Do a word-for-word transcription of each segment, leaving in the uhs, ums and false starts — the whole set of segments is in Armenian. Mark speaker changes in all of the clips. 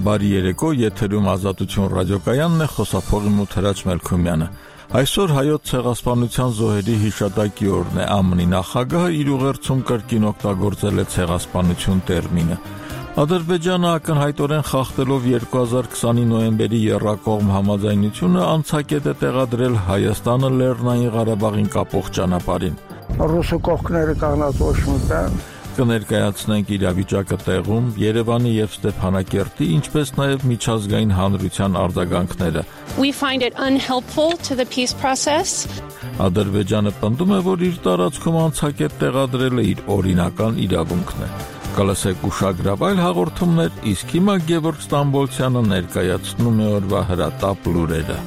Speaker 1: Բարի երեկո, եթերում Ազատություն ռադիոկայանն է, խոսափողի Մութերաչ Մելքումյանը։ Այսօր հայոց ցեղասպանության զոհերի հիշատակի օրն է, ԱՄՆ-ի նախագահը իր ուղերձում կրկին օգտագործել է ցեղասպանություն տերմինը։ Ադրբեջանը ակնհայտորեն խախտելով երկու հազար քսանի նոյեմբերի եռակողմ համաձայնությունը անցակետ է տեղադրել Հայաստանը Լեռնային Ղարաբաղին կապող ճանապարհին։
Speaker 2: Ռուսը կողքները կանգնած ոչ մտան։
Speaker 1: Կներկայացնենք իրավիճակը տեղում, Երևանի եւ Ստեփանակերտի, ինչպես նաեւ միջազգային հանրության արձագանքները։
Speaker 3: We find it unhelpful to the peace process.
Speaker 1: Ադրբեջանը պնդում է, որ իր տարածքում անցակետ տեղադրելը իր օրինական իրավունքն է։ Կլսեք ուշագրավ այլ հաղորդումներ, իսկ հիմա Գևորգ Ստամբոլցյանը ներկայացնում է օրվա հրատապ լուրերը։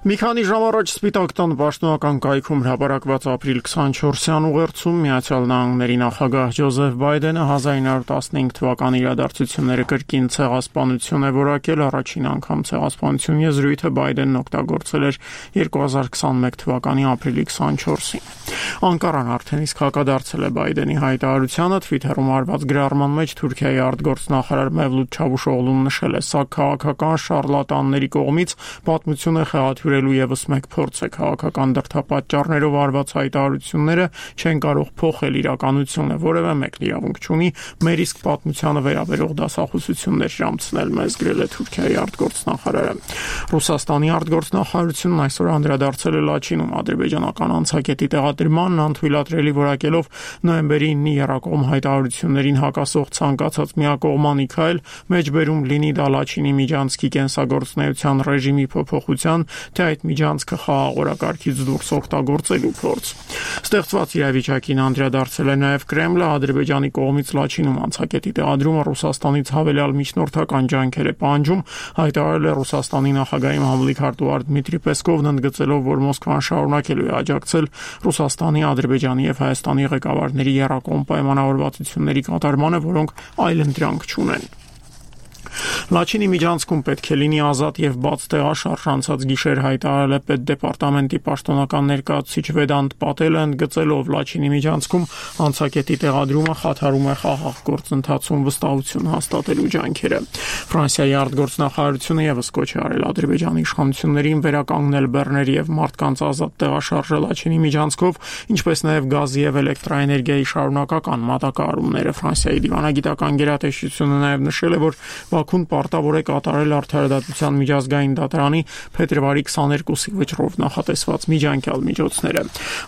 Speaker 4: Մի քանի ժամ առաջ Սպիտակ տան պաշտոնական կայքում հրապարակված ապրիլ քսանչորսյան ուղերձում Միացյալ Նահանգների նախագահ Ջոզեֆ Բայդենը հազար ինը հարյուր տասնհինգ թվականի իրադարձությունները կրկին ցեղասպանություն է որակել, առաջին անգամ ցեղասպանություն եզրույթը Բայդենն օգտագործել էր երկու հազար քսանմեկ թվականի ապրիլի քսանչորսին։ Անկարան արդեն իսկ հակադարձել է Բայդենի հայտարարությանը, Twitter-ում արված գրառման մեջ Թուրքիայի արտգործնախարար Մևլութ Չավուշօղլուն նշել է, սա քաղաքական շարլատանների կողմից պատմություն է խեղաթյուրելու եւս մեկ փորձ է, քաղաքական դրդապատճառներով արված հայտարարությունները չեն կարող փոխել իրականությունը, որևէ մեկն իրավունք չունի մեր իսկ պատմությանը վերաբերող դասախոսություններ ժամցնել, մեզ գրել է Թուրքիայի արտգործնախարարը։ Ռուսաստանի արտգործնախարարությունն այսօր անդրադարձել է Լաչինում ադրբեջանական անցակետի տեղադրմանն անթույլատրելի որակելով նոյեմբերի ինի եռակողմ հայտարարություններին հակասող ցանկացած միակողմանի քայլ, մեջբերում լինի դա Լաչինի միջանցքի կենսագործունեության ռեժիմի փոփոխության, թե այդ միջանցքը խաղաղ օրակարգից դուրս օգտագործելու փորձ։ Ստեղծված իրավիճակին անդրադարձել է նաև Կրեմլը, Ադրբեջանի կողմից Լաչինում անցակետի տեղադրումը Ռուսաստանից հավելյալ միջնորդական ջանքեր է պահանջում, հայտարարել է Ռուսաստանի նախագահի մամլիկ հարտուղար Դմիտրի Պեսկովն, ընդգծելով, որ Մոսկվան շարունակելու է աջակցել Ռուսաստանի, Ադրբեջանի եւ Հայաստանի ղեկավարների եռակողմ պայմանավորվածությունների կատարմանը, որոնք այլընտրանք չունեն։ Լաչինի միջանցքում պետք է լինի ազատ եւ բաց տեղաշարժ, անցած գիշեր հայտարարել է պետդեպարտամենտի պաշտոնական ներկայացուցիչ Վեդանտ Պատելը, ընդգծելով Լաչինի միջանցքում անցակետի տեղադրումը խաթարում է խաղաղ գործընթացում վստահություն հաստատելու ջանքերը։ Ֆրանսիայի արտգործնախարարությունը եւս կոչ է արել Ադրբեջանի իշխանություններին վերականգնել բեռների եւ մարդկանց ազատ տեղաշարժը Լաչինի միջանցքով, ինչպես նաեւ գազի եւ էլեկտրաէներգիայի շարունակական մատակարարումները։ Ֆրանսիայի դիվանագիտական գերատեսչությունը նաեւ նշել է, որ Բաքուն պարտավոր է կատարել Արդարադատության միջազգային դատարանի փետրվարի քսաներկուսի վճռով նախատեսված միջանկյալ միջոցները։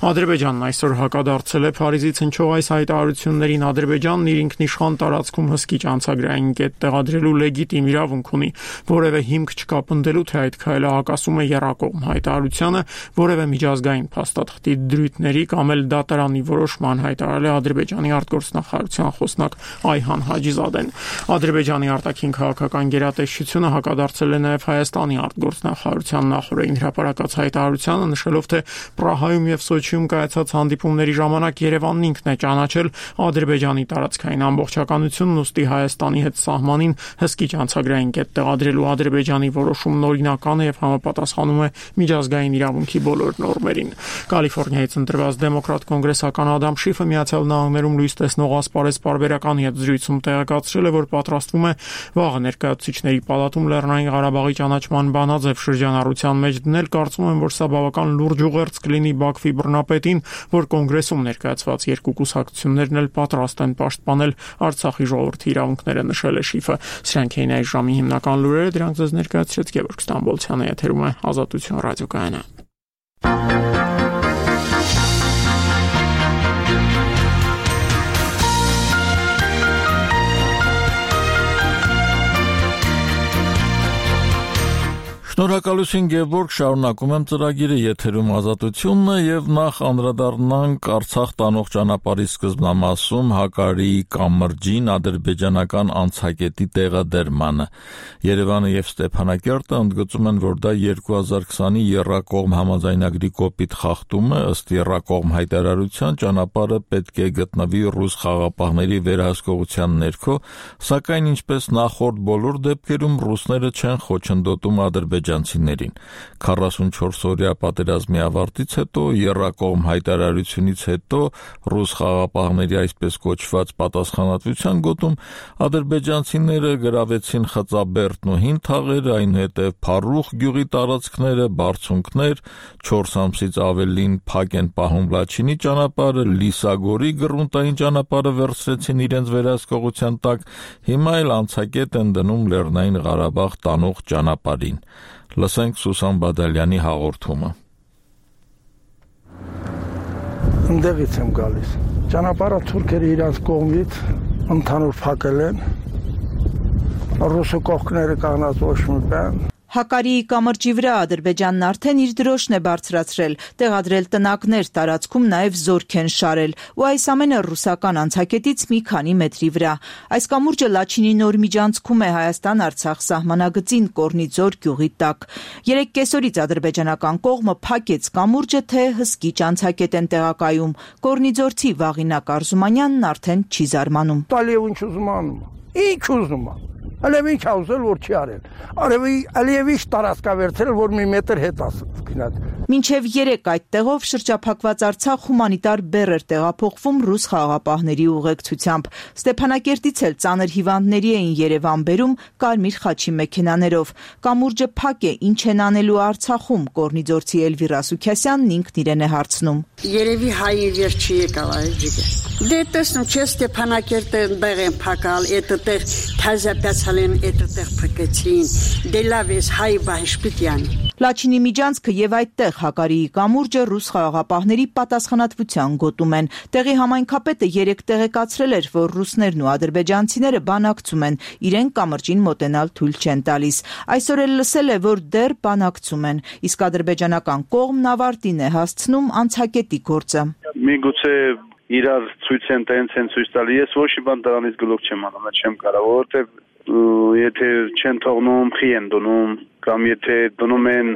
Speaker 4: Ադրբեջանն այսօր հակադարձել է Փարիզից հնչող այս հայտարարություններին։ Ադրբեջանն իր ինքնիշխան տարածքում հսկիչ անցագրային կետ տեղադրելու լեգիտիմ իրավունք ունի, որևէ հիմք չկա պնդելու, թե այդ քայլը հակասում է եռակողմ հայտարարությանը, որևէ միջազգային փաստաթղթի դրույթների կամ էլ դատարանի որոշման, հայտարարել է Ադրբեջանի արտգործնախարարության խոսնակ Այհան Հաջիզադեն։ Ադրբեջանի արտաքին քաղաքական գերատեսչությունը հակադարձել է նաև Հայաստանի արտգործնախարարության նախորդին հրապարակած հայտարարությանը, նշելով, թե Պրահայում եւ Սոչիում կայացած հանդիպումների ժամանակ Երևանն ինքն է ճանաչել Ադրբեջանի տարածքային ամբողջականությունն, ուստի Հայաստանի հետ սահմանին հսկիչ անցագրային կետ տեղադրելու Ադրբեջանի որոշումն օրինական է եւ համապատասխանում է միջազգային իրավունքի բոլոր նորմերին։ Կալիֆոռնիայից ընտրված դեմոկրատ կոնգրեսական Ադամ Շիֆը Միացյալ Նահանգներում լույս տեսնող ասպարեզ պարբերականի հետ զրույցում տեղեկացրել է, որ պատրաստվում է վաղը ներկայացուցիչների պալատում Լեռնային Ղարաբաղի ճանաչման բանաձև շրջանառության մեջ դնել, կարծում եմ, որ սա բավական լուրջ ուղերձ կլինի Բաքվի բռնապետին, որ կոնգրեսում ներկայացված երկու կուսակցություններն էլ պատրաստ են պաշտպանել Արցախի ժողովրդի իրավունքները, նշել է Շիֆը։ Սրանք էին այս ժամի հիմնական լուրերը, դրանք ձեզ ներկայացրեց Գևորգ Ստամբոլցյանը, եթերում է Ազատություն ռադիոկայանը։
Speaker 1: Շնորհակալություն Գևորգ, շարունակում եմ ծրագիրը, եթերում Ազատությունն է եւ նախ անդրադառնանք Արցախ տանող ճանապարհի սկզբնամասում Հակարիի կամրջին ադրբեջանական անցակետի տեղադրմանը։ Երևանը եւ Ստեփանակերտը ընդգծում են, որ դա երկու հազար քսանի եռակողմ համաձայնագրի կոպիտ խախտում է, ըստ եռակողմ հայտարարության ճանապարհը պետք է գտնվի ռուս խաղաղապահների վերահսկողության ներքո, սակայն ինչպես նախորդ բոլոր դեպքերում ռուսները չեն խոչընդոտում ադրբեջանական ադրբեջանցիներին։ քառասունչորս-օրյա պատերազմի ավարտից հետո, եռակողմ հայտարարությունից հետո ռուս խաղաղապահների այսպես կոչված պատասխանատվության գոտում ադրբեջանցիները գրավեցին Խծաբերդն ու Հին թաղերը, այնուհետև Փարուխ գյուղի տարածքները, բարձունքներ, չորս ամսից ավելին փակ են պահում Լաչինի ճանապարհը, Լիսագորի գրունտային ճանապարհը վերցրեցին իրենց վերահսկողության տակ, հիմա էլ անցակետ են դնում Լեռնային Ղարաբաղ տանող ճանապարհին։ Լսենք Սուսան Բադալյանի հաղորդումը։
Speaker 2: Ընդեղից եմ գալիս։ Ճանապարհը թուրքերը իրաց կողմից ընդհանուր փակել են։ Ռուսը կողքները կանգնած ոչ մի բան։
Speaker 5: Հակարիի կամրջի վրա Ադրբեջանն արդեն իր դրոշն է բարձրացրել, տեղադրել տնակներ, տարածքում նաև զորք են շարել, ու այս ամենը ռուսական անցակետից մի քանի մետրի վրա։ Այս կամուրջը Լաչինի նոր միջանցքում է Հայաստան-Արցախ սահմանագծին Կորնիձոր գյուղի տակ։ Երեք կեսօրից ադրբեջանական կողմը փակեց կամուրջը, թե հսկիչ անցակետ են տեղակայում։ Կորնիձորցի Վաղինակ Արզումանյանն արդեն չի զարմանում։
Speaker 2: Տալիև ինչ ուզում անում։ Ինչ ուզում անում։ Ալև ինչ աուզել, որ չի արել։ Արևի ալև ինչ տարածքա վերցրել, որ մի մետր հետ ասկինած։
Speaker 5: Մինչև երեք այդ տեղով շրջափակված Արցախ հումանիտար բեռ էր տեղափոխվում ռուս խաղաղապահների ուղեկցությամբ։ Ստեփանակերտից էլ ծանր հիվանդների էին Երևան բերում կարմիր խաչի մեքենաներով։ Կամուրջը փակ է, ինչ են անելու Արցախում, Կորնիձորցի Էլվիրա Սուքյասյանն ինքն իրեն է հարցնում։
Speaker 6: Երևի հայի վերջի եկավ այս ջիգը։ Դե տեսնում չէ Ստեփանակերտը բեղ են փակալ, այդտեղ թազապյացալ են, այդտեղ փակեցին։ Դե լավ է, հայ բահշպիտյան։
Speaker 5: Լաչինի միջանցքը եւ այդտեղ Հակարիի կամուրջը ռուս խաղաղապահների պատասխանատվության գոտում են։ Տեղի համայնքապետը երեք տեղեկացրել էր, որ ռուսներն ու ադրբեջանցիները բանակցում են, իրեն կամրջին մոտենալ թույլ չեն տալիս։ Այսօր էլ լսել է, որ դեռ բանակցում են, իսկ ադրբեջանական կողմն ավարտին է հասցնում անցակետի գործը։
Speaker 7: Միգուցե իրար ցույց են տենց են ցույց տալի, ես ոչ մի բան դրանից գլուխ չեմ անում, չեմ կարող, որովհետև եթե չեն թողնում, խի են դնում, կամ եթե դնում են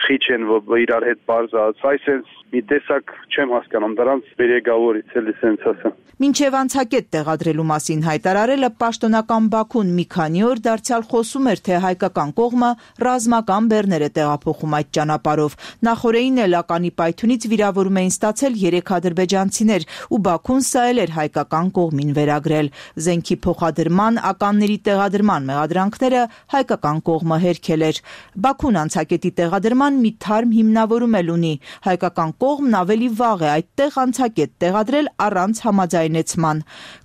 Speaker 7: խի չեն, որ իրար հետ բարձած, այսպես մի տեսակ չեմ հասկանում, դրանց բերեգավորից էլի սենց ասեմ։
Speaker 5: Մինչև անցակետ տեղադրելու մասին հայտարարելը պաշտոնական Բաքուն մի քանի օր դարձյալ խոսում էր, թե հայկական կողմը ռազմական բեռներ է տեղափոխում այդ ճանապարհով։ Նախորդին էլ ականի պայթյունից վիրավորում էին ստացել երեք ադրբեջանցիներ, ու Բաքուն սա էլ էր հայկական կողմին վերագրել։ Զենքի փոխադրման, ականների տեղադրման մեղադրանքները հայկական կողմը հերքել էր։ Բաքուն անցակետի տեղադրման մի թարմ հիմնավորում էլ ունի։ Հայկական կողմն ավելի վաղ է այդտեղ անցակետ տեղադրել առանց համաձայնեցման։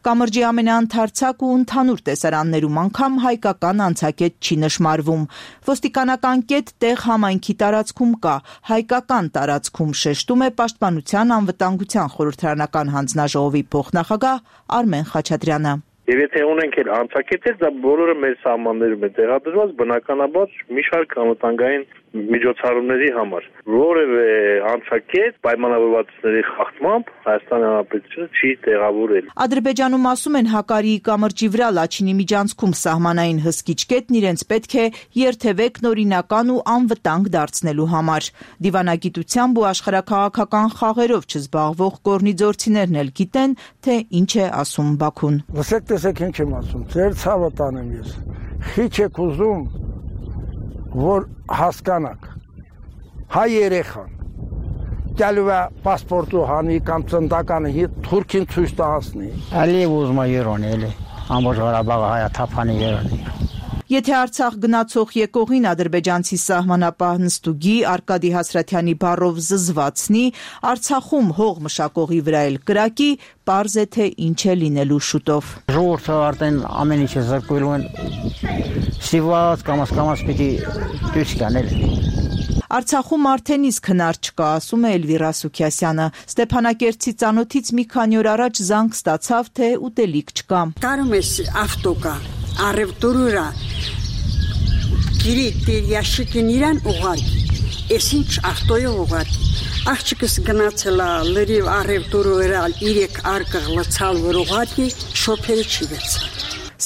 Speaker 5: Կամրջի ամենաընթարցակ ու ընդհանուր տեսարաններում անգամ հայկական անցակետ չի նշմարվում։ Ոստիկանական կետ տեղ համայնքի տարածքում կա, հայկական տարածքում, շեշտում է Պաշտպանության անվտանգության խորհրդարանական հանձնաժողովի փոխնախագահ Արմեն Խաչատրյանը։
Speaker 8: Եվ եթե ունենք էլ անցակետեր, դա բոլորը մեր սահմաններում է տեղադրված, բնականաբար մի շարք անվտանգային միջոցառումների համար։ Որևէ անցակետ պայմանավորվածությունների խախտմամբ Հայաստանի Հանրապետությունը չի տեղավորել։
Speaker 5: Ադրբեջանում ասում են Հակարիի կամրջի վրա Լաչինի միջանցքում սահմանային հսկիչ կետն իրենց պետք է երթևեկն օրինական ու անվտանգ դարձնելու համար։ Դիվանագիտությամբ ու աշխարհաքաղաքական խաղերով չզբաղվող կորնիձորցիներն էլ գիտեն, թե ինչ է ասում Բաքուն։
Speaker 2: Լսեք, տեսեք ինչ եմ ասում, ձեր ցավը տանեմ ես։ Խիչ եք ուզում, որ հասկանաք, հայ երեխան, գալու է պասպորտու հանի կամ ծնդականը հետ թուրքին ցույց տահասնի։
Speaker 9: Ալիև ուզում է Երոնի, էլի, ամբողջ Ղարաբաղը հայաթափանի Երոնի։
Speaker 5: Եթե Արցախ գնացող եկողին ադրբեջանցի սահմանապահ նստուգի Արկադի Հասրաթյանի բառով զզվացնի, Արցախում հող մշակողի վրա էլ կրակի, պարզ է թե ինչ է լինելու շուտով։
Speaker 9: Ժողովուրդը արդեն ամեն ինչը զրկվելու են, սիված կամաց կամաց պիտի դուրս գան էլ։
Speaker 5: Արցախում արդեն իսկ հնար չկա, ասում է Էլվիրա Սուքյասյանը։ Ստեփանակերտցի ծանոթից մի քանի օր առաջ զանգ ստացավ, թե ուտելիք չկա։
Speaker 6: Կարում ես ավտոկա, առևտուրը Գիրի դեր ящикին իրան ուղարկի, ես ինչ ավտոյով ուղարկի, աղջիկս գնացել է լրիվ առևտուրը վերալ, իրեք արկղ լցալ որ ուղարկի, շոփերը չի վերցալ։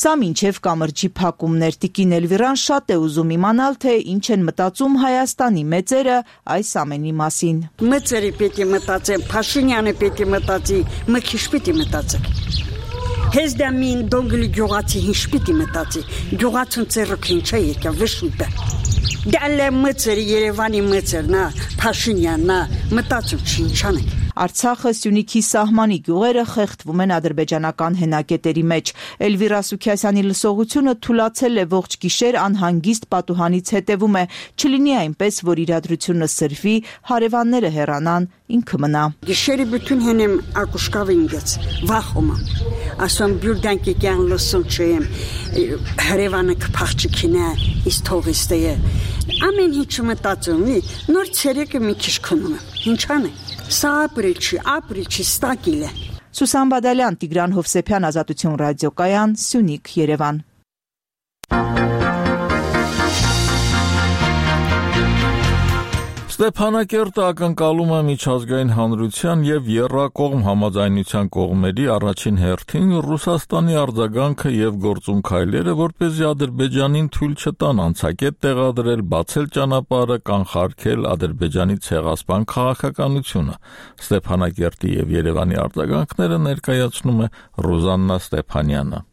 Speaker 5: Սա մինչև կամրջի փակումներ Տիկին Էլվիրան շատ է ուզում իմանալ, թե ինչ են մտածում Հայաստանի մեծերը այս ամենի մասին։
Speaker 6: Մեծերը պետք է մտածեն, Փաշինյանը պետք է մտածի, մքիշ պետք է մտածի։ Հեզդամին դոնգլի գյուղացի հիշ պետք է մտածի, գյուղացուն ծերոք ինչ է եկա վշուտը։ Դալը մծեր Երևանի մծերնա, Փաշինյաննա, մտածում չի ինչան է։
Speaker 5: Արցախը Սյունիքի սահմանի գյուղերը խեղդվում են ադրբեջանական հենակետերի մեջ։ Էլվիրա Սուքիասյանի լսողությունը թուլացել է ողջ գիշեր անհանգիստ պատուհանից հետևում է։ Չլինի այնպես, որ իրադրությունը սրվի, հարևանները հեռանան, ինքը մնա։
Speaker 6: Գիշերը bütün հենեմ ակուշկավը ինգեց, վախում եմ։ Ասում բյուրդանքի կյան լսում չեմ, հարևանը կփախչիքին է, իս թողիստ է։ Ամեն ինչ մտածում, նոր ցերեկը մի քիչ քնում եմ, ինչան է։ Սա ապրիլչի, ապրիլչի ստակիլ է։
Speaker 5: Սուսան Բադալյան, Տիգրան Հովսեփյան, Ազատություն ռադիոկայան, Սյունիք, Երևան։
Speaker 1: Ստեփանակերտը ակնկալում է միջազգային հանրության եւ եռակողմ համաձայնության կողմերի առաջին հերթին Ռուսաստանի արձագանքը եւ գործում քայլերը, որպեսզի Ադրբեջանին թույլ չտան անցակետ տեղադրել, բացել ճանապարհը, կանխարգել Ադրբեջանի ցեղասպան քաղաքականությունը։ Ստեփանակերտի եւ Երևանի արձագանքները ներկայացնում է Ռոզաննա Ստեփանյանը։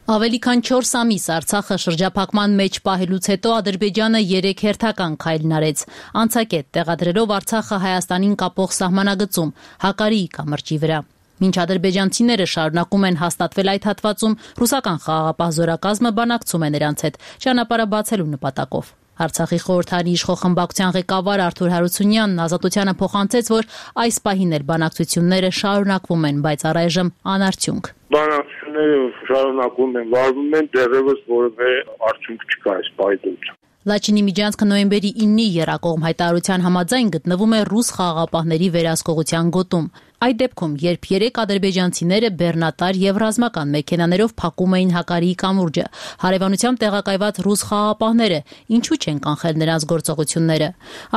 Speaker 10: Ավելի քան չորս ամիս Արցախը շրջափակման մեջ պահելուց հետո Ադրբեջանը երեք հերթական քայլ արեց, անցակետ տեղադրելով Արցախը Հայաստանին կապող սահմանագծում Հակարիի կամրջի վրա։ Մինչ ադրբեջանցիները շարունակում են հաստատվել այդ հատվածում, ռուսական խաղաղապահ զորակազմը բանակցում է նրանց հետ ճանապարհը բացելու նպատակով։ Արցախի խորհրդարանի իշխող խմբակցության ղեկավար Արթուր Հարությունյանն Ազատությանը փոխանցեց, որ այս պահին էլ բանակցությունները շարունակվում են, բայց առայժմ անարդյունք։
Speaker 8: Բանակցությունները շարունակվում են, վարվում են, դեռևս որևէ արդյունք չկա այս պայմաններում։
Speaker 10: Լաչինի միջանցքը նոյեմբերի իննի եռակողմ հայտարարության համաձայն գտնվում է ռուս խաղաղապահների վերահսկողության գոտում։ Այդ դեպքում, երբ երեք ադրբեջանցիները բեռնատար եւ ռազմական մեքենաներով փակում էին Հակարիի կամուրջը, հարևանությամբ տեղակայված ռուս խաղաղապահները ինչու չեն կանխել նրանց գործողությունները։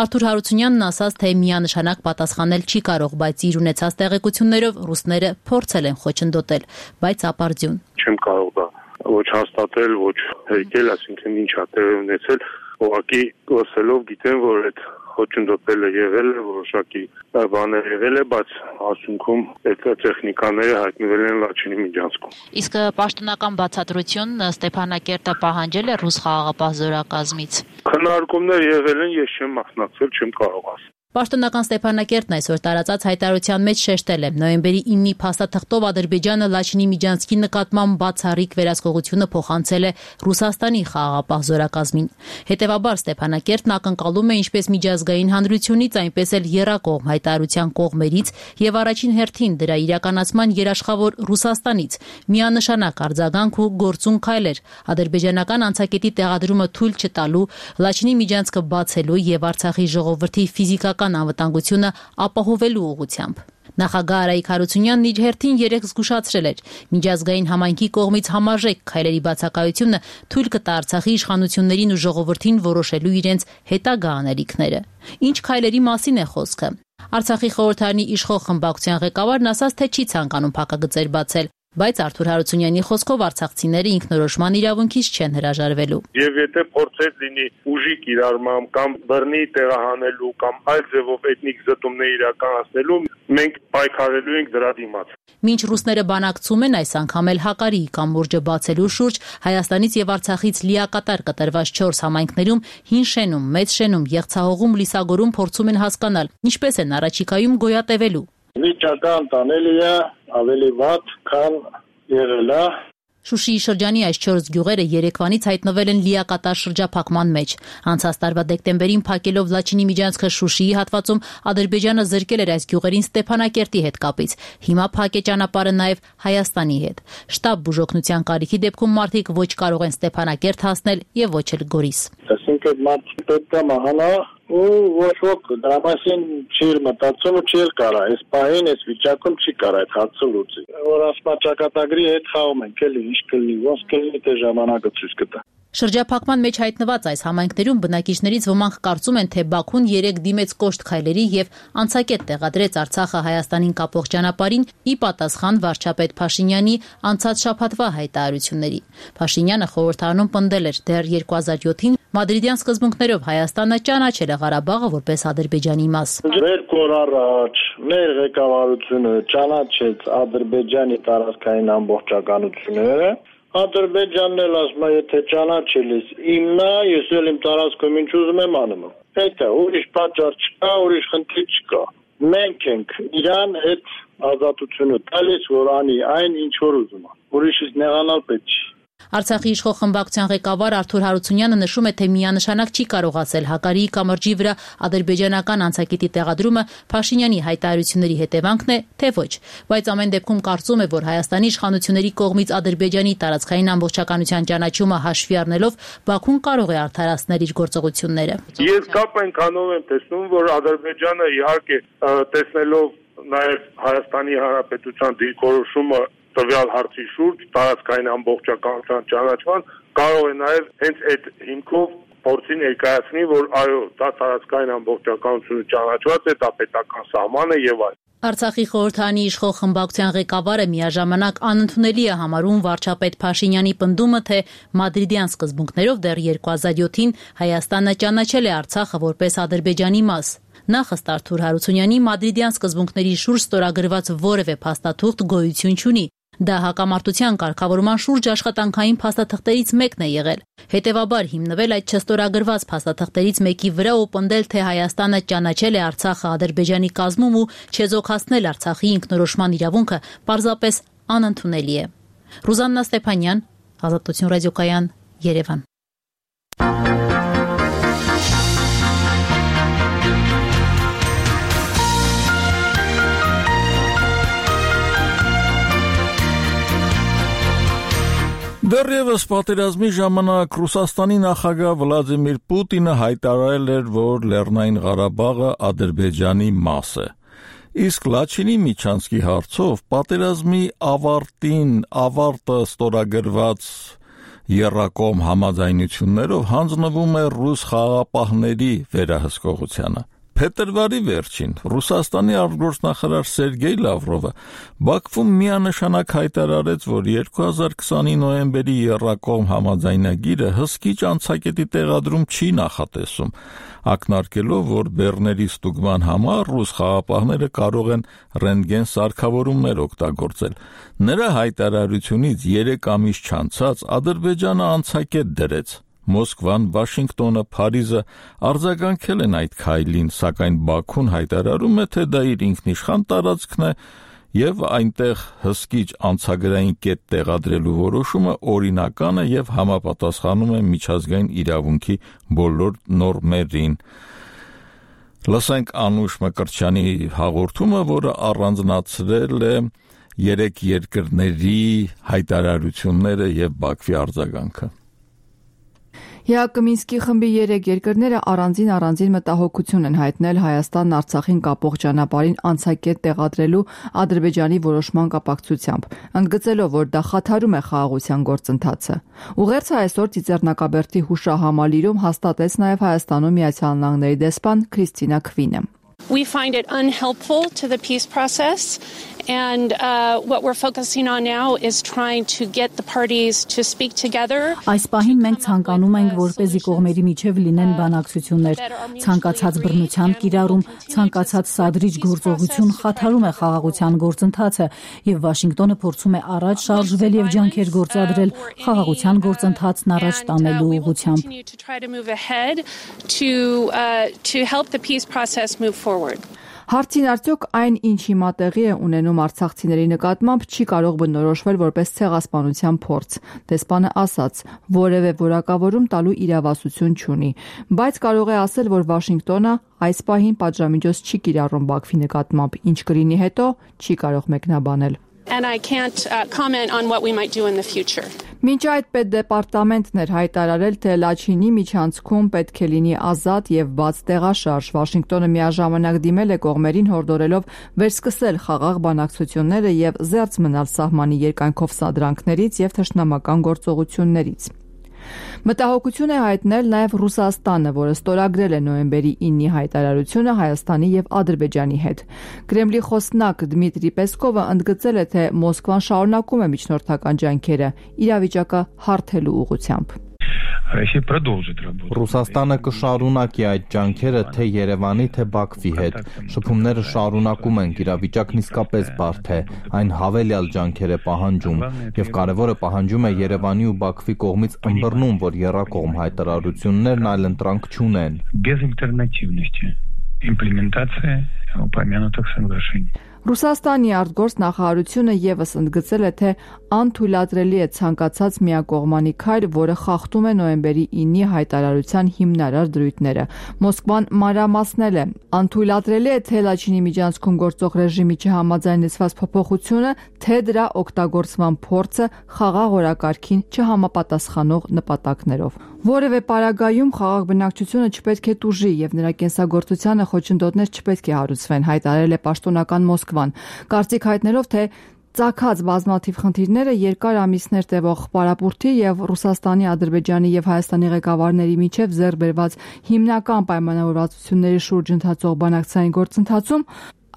Speaker 10: Արթուր Հարությունյանն ասաց, թե միանշանակ պատասխանել չի կարող, բայց իր ունեցած տեղեկություններով ռուսները փորձել են խոչընդոտել, բայց ապարդյուն։
Speaker 8: Չեմ կարող դա ոչ հաստատել, ոչ հերկել, այսինքն ինչ է տեղի ունեցել, ուղղակի լսելով գիտեմ, որ այդ խոչընդոտելը եղել է, որոշակի բաներ եղել է, բայց ասունքում այդ տեխնիկաները հայտնվել են Լաչինի միջանցքում։
Speaker 10: Իսկ պաշտոնական բացատրություն Ստեփանակերտը պահանջել է ռուս խաղաղապահ զորակազմից։
Speaker 8: Քննարկումներ եղել են, ես չեմ մասնակցել, չեմ կարող ասել։
Speaker 10: Պաշտոնական Ստեփանակերտն այսօր տարածած հայտարարության մեջ շեշտել է նոյեմբերի իննի փաստաթղթով Ադրբեջանը Լաչինի միջանցքի նկատմամբ բացառիկ վերահսկողությունը փոխանցել է Ռուսաստանի խաղաղապահ զորակազմին։ Հետևաբար Ստեփանակերտն ակնկալում է ինչպես միջազգային հանրությունից, այնպես էլ եռակողմ հայտարարության կողմերից եւ առաջին հերթին դրա իրականացման երաշխավոր Ռուսաստանից միանշանակ արձագանք ու գործուն քայլեր ադրբեջանական անցակետի տեղադրումը թույլ չտալու, Լաչինի միջանցքը բացելու եւ Արցախի ժողովրդի ֆիզիկական անվտանգությունը ապահովելու ուղղությամբ։ Նախագահ Արայիկ Հարությունյանն իր հերթին երեկ զգուշացրել էր. միջազգային համայնքի կողմից համարժեք քայլերի բացակայությունը թույլ կտա Արցախի իշխանություններին ու ժողովրդին որոշելու իրենց հետագա անելիքները։ Ինչ քայլերի մասին է խոսքը։ Արցախի խորհրդարանի իշխող խմբակցության ղեկավարն ասաց, թե չի ցանկանում փակագծեր բացել, բայց Արթուր Հարությունյանի խոսքով արցախցիները ինքնորոշման իրավունքից չեն հրաժարվելու։
Speaker 8: Եվ եթե փորձեր լինի ուժի կիրառմամբ կամ բռնի տեղահանելու կամ այլ ձևով էթնիկ զտումներ իրականացնելու, մենք պայքարելու ենք դրա դիմաց։
Speaker 10: Մինչ ռուսները բանակցում են այս անգամ էլ Հակարիի կամուրջը բացելու շուրջ, Հայաստանից եւ Արցախից լիակատար կտրված չորս համայնքներում հին շենում, մեծ շենում, Եղցահողում, Լիսագորում փորձում են հասկանալ, ինչպես են առաջիկայում գոյատևելու։
Speaker 11: Վիճակը տանելի է ավելի վատ, քան եղել է։
Speaker 10: Շուշիի շրջանի այս չորս գյուղերը երեկվանից հայտնվել են լիակատար շրջափակման մեջ։ Անցած տարվա դեկտեմբերին փակելով Լաչինի միջանցքը Շուշիի հատվածում Ադրբեջանը զրկել էր այս գյուղերին Ստեփանակերտի հետ կապից։ Հիմա փակ է ճանապարհը նաև Հայաստանի հետ։ Շտաբ բուժօգնության կարիքի դեպքում մարդիկ ոչ կարող են Ստեփանակերտ հասնել եւ ոչ էլ Գորիս։
Speaker 11: Այսինքն մարդիկ պետք է մահանա ու ոչ ոք դրա մասին չի մտածում ու չի կարա։ Այս պահին այս վիճակում չի կարա այդ հարցը լուծել։ Որ ասма ճակատագրի հետ խաղում ենք, էլի ինչ կլինի, ոնց կլինի դե ժամանակը ցույց կտա։
Speaker 10: Շրջափակման մեջ հայտնված այս համայնքներում բնակիչներից ոմանք կարծում են, թե Բաքուն երեք դիմեց կոշտ քայլերի եւ անցակետ տեղադրեց Արցախը Հայաստանին կապող ճանապարհին ի պատասխան վարչապետ Փաշինյանի անցած շաբաթվա հայտարարությունների։ Փաշինյանը խորհրդարանում պնդել էր դեռ երկու հազար յոթին Մադրիդյան սկզբունքներով Հայաստանը ճանաչել է Ղարաբաղը որպես Ադրբեջանի մաս։
Speaker 11: Երկու օր առաջ մեր ղեկավարությունը ճանաչեց Ադրբեջանի տարածքային ամբողջականությունը, Ադրբեջանն էլ ասում է, եթե ճանաչել ես իմնա, ես էլ իմ տարածքում ինչ ուզում եմ անում։ Դա ուրիշ պատճառ չկա, ուրիշ խնդիր չկա։ Մենք ենք իրան այդ ազատությունը տալիս, որ անի այն ինչ որ ուզում է։ Ուրիշից նեղանալ պետք չի։
Speaker 10: Արցախի իշխող խմբակցության ղեկավար Արթուր Հարությունյանը նշում է, թե միանշանակ չի կարող ասել Հակարիի կամրջի վրա ադրբեջանական անցակետի տեղադրումը Փաշինյանի հայտարարությունների հետևանքն է, թե ոչ, բայց ամեն դեպքում կարծում է, որ Հայաստանի իշխանությունների կողմից Ադրբեջանի տարածքային ամբողջականության ճանաչումը հաշվի առնելով Բաքուն կարող է արդարացնել իր գործողությունները։
Speaker 8: Ես կապ այնքանով եմ տեսնում, որ Ադրբեջանը իհարկե տեսնելով նաև Հայաստանի Հանրապետության դիրքորոշումը տվյալ հարցի շուրջ տարածքային ամբողջականության ճանաչման կարող է նաև հենց այդ հիմքով փորձի ներկայացնի, որ այո, դա տարածքային ամբողջականությունը ճանաչված է, դա պետական սահման է եւ այլն։
Speaker 10: Արցախի խորհրդանի իշխող խմբակցության ղեկավարը միաժամանակ անընդունելի է համարում վարչապետ Փաշինյանի պնդումը, թե մադրիդյան սկզբունքներով դեռ երկու հազար յոթին Հայաստանը ճանաչել է Արցախը որպես Ադրբեջանի մաս։ Նախ ըստ Արթուր Հարությունյանի մադրիդյան սկզբունքների շուրջ ստորագրված որևէ փաստաթուղթ գոյություն չունի։ Դա հակամարտության կարգավորման շուրջ աշխատանքային փաստաթղթերից մեկն է եղել։ Հետևաբար հիմնվել այդ չստորագրված փաստաթղթերից մեկի վրա ու պնդել, թե Հայաստանը ճանաչել է Արցախը Ադրբեջանի կազմում ու չեզոքացնել Արցախի ինքնորոշման իրավունքը պարզապես անընդունելի է։ Ռուզաննա Ստեփանյան, Ազատություն ռադիոկայան, Երևան։
Speaker 1: Դեռևս պատերազմի ժամանակ Ռուսաստանի նախագահ Վլադիմիր Պուտինը հայտարարել էր, որ Լեռնային Ղարաբաղը Ադրբեջանի մաս է։ Իսկ Լաչինի միջանցքի հարցով պատերազմի ավարտին ավարտը ստորագրված եռակողմ համաձայնություններով հանձնվում է ռուս խաղաղապահների վերահսկողությանը։ Փետրվարի վերջին Ռուսաստանի արտգործնախարար Սերգեյ Լավրովը Բաքվում միանշանակ հայտարարեց, որ երկու հազար քսանի նոյեմբերի եռակողմ համաձայնագիրը հսկիչ անցակետի տեղադրում չի նախատեսում, ակնարկելով, որ բեռների ստուգման համար ռուս խաղաղապահները կարող են ռենտգեն սարքավորումներ օգտագործել։ Նրա հայտարարությունից երեք ամիս չանցած Ադրբեջանը անցակետ դրեց։ Մոսկվան, Վաշինգտոնը, Փարիզը արձագանքել են այդ քայլին, սակայն Բաքուն հայտարարում է, թե դա իր ինքնիշխան տարածքն է եւ այնտեղ հսկիչ անցագրային կետ տեղադրելու որոշումը օրինական է եւ համապատասխանում է միջազգային իրավունքի բոլոր նորմերին։ Լսենք Անուշ Մկրտչյանի հաղորդումը, որը առանձնացրել է երեք երկրների հայտարարությունները եւ Բաքվի արձագանքը։
Speaker 12: Յակոմինսկի խմբի երեք երկրները առանձին առանձին մտահոգություն են հայտնել Հայաստանն Արցախին կապող ճանապարհին անցակետ տեղադրելու Ադրբեջանի որոշման կապակցությամբ, ընդգծելով, որ դա խաթարում է խաղաղության գործընթացը։ Ուղերձը այսօր Ծիծեռնակաբերդի հուշահամալիրում հաստատեց նաև Հայաստանում Միացյալ Նահանգների դեսպան Քրիստինա Քվինը։
Speaker 3: We find it unhelpful to the peace process, and uh, what we're focusing on now is trying to get the parties to speak together.
Speaker 13: Այս պահին մենք ցանկանում ենք, որպեսզի կողմերի միջև լինեն բանակցություններ, ցանկացած բռնության կիրառում, ցանկացած սադրիչ գործողություն խաթարում է խաղաղության գործընթացը, եւ Վաշինգտոնը փորձում է առաջ շարժվել եւ ջանքեր գործադրել խաղաղության գործընթացն առաջ տանելու ուղղությամբ։
Speaker 12: Հարցին արդյոք այն, ինչ հիմա տեղի է ունենում արցախցիների նկատմամբ, չի կարող բնորոշվել որպես ցեղասպանության փորձ։ Դեսպանը ասաց, որևէ որակավորում տալու իրավասություն չունի, բայց կարող է ասել, որ Վաշինգտոնը այս պահին պատժամիջոց չի կիրառում Բաքվի նկատմամբ, ինչ կլինի հետո, չի կարող մեկնաբանել։
Speaker 3: And I can't uh, comment on what we might do in the future.
Speaker 12: Մինչ այդ պետդեպարտամենտն էր հայտարարել, թե Լաչինի միջանցքում պետք է լինի ազատ եւ բաց տեղաշարժ։ Վաշինգտոնը միաժամանակ դիմել է կողմերին հորդորելով վերսկսել խաղաղ բանակցությունները եւ զերծ մնալ սահմանի երկայնքով սադրանքներից եւ թշնամական գործողություններից։ Մտահոգություն է հայտնել նաև Ռուսաստանը, որը ստորագրել է նոյեմբերի իննի հայտարարությունը Հայաստանի եւ Ադրբեջանի հետ։ Կրեմլի խոսնակ Դմիտրի Պեսկովը ընդգծել է, թե Մոսկվան շարունակում է միջնորդական ջանքերը իրավիճակը հարթելու ուղղությամբ։
Speaker 14: Ռուսաստանը կշարունակի այդ ջանքերը թե Երևանի, թե Բաքվի հետ։ Շփումները շարունակում ենք, իրավիճակն իսկապես բարդ է, այն հավելյալ ջանքեր է պահանջում, եւ կարևորը պահանջում է Երևանի ու Բաքվի կողմից ըմբռնում, որ եռակողմ հայտարարություններն այլընտրանք չունեն։
Speaker 15: Имплементация упомянутых соглашений.
Speaker 12: Ռուսաստանի արտգործնախարարությունը եւս ընդգծել է, թե անթույլատրելի է ցանկացած միակողմանի քայլ, որը խախտում է նոյեմբերի ինի հայտարարության հիմնարար դրույթները։ Մոսկվան մանրամասնել է. անթույլատրելի է թե Լաչինի միջանցքում գործող ռեժիմի չհամաձայնեցված փոփոխությունը, թե դրա օգտագործման փորձը խաղաղ օրակարգին չհամապատասխանող նպատակներով։ Որևէ պարագայում խաղաղ բնակչությունը չպետք է տուժի եւ նրա կենսագործությանը խոչընդոտներ չպետք է հարուցվեն, հայտարարել է պաշտոնական Մոսկվան, կարծիք հայտնելով, թե ծագած բազմաթիվ խնդիրները երկար ամիսներ տևող պարապուրդի եւ Ռուսաստանի, Ադրբեջանի եւ Հայաստանի ղեկավարների միջև ձեռք բերված հիմնական պայմանավորվածությունների շուրջ ընթացող բանակցային գործընթացում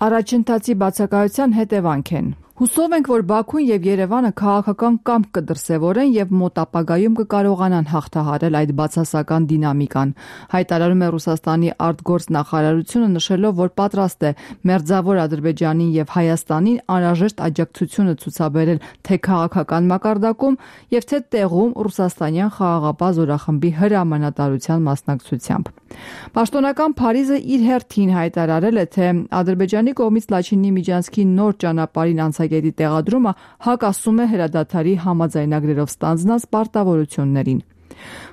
Speaker 12: առաջընթացի բացակայության հետևանք են։ Հուսով ենք, որ Բաքուն եւ Երևանը քաղաքական կամք կդրսեւորեն եւ մոտ ապագայում կկարողանան հաղթահարել այդ բացասական դինամիկան, հայտարարում է Ռուսաստանի արտգործնախարարությունը, նշելով, որ պատրաստ է մերձավոր Ադրբեջանին եւ Հայաստանին անհրաժեշտ աջակցությունը ցուցաբերել թե քաղաքական մակարդակում եւ թե տեղում ռուսաստանյան խաղաղապահ զորախմբի հրամանատարության մասնակցությամբ։ Պաշտոնական Փարիզը իր հերթին հայտարարել է, թե Ադրբեջանի կողմից Լաչինի միջանցքի նոր ճանապարհին անցագետի տեղադրումը հակասում է հրադադարի համաձայնագրերով ստանձնած պարտավորություններին։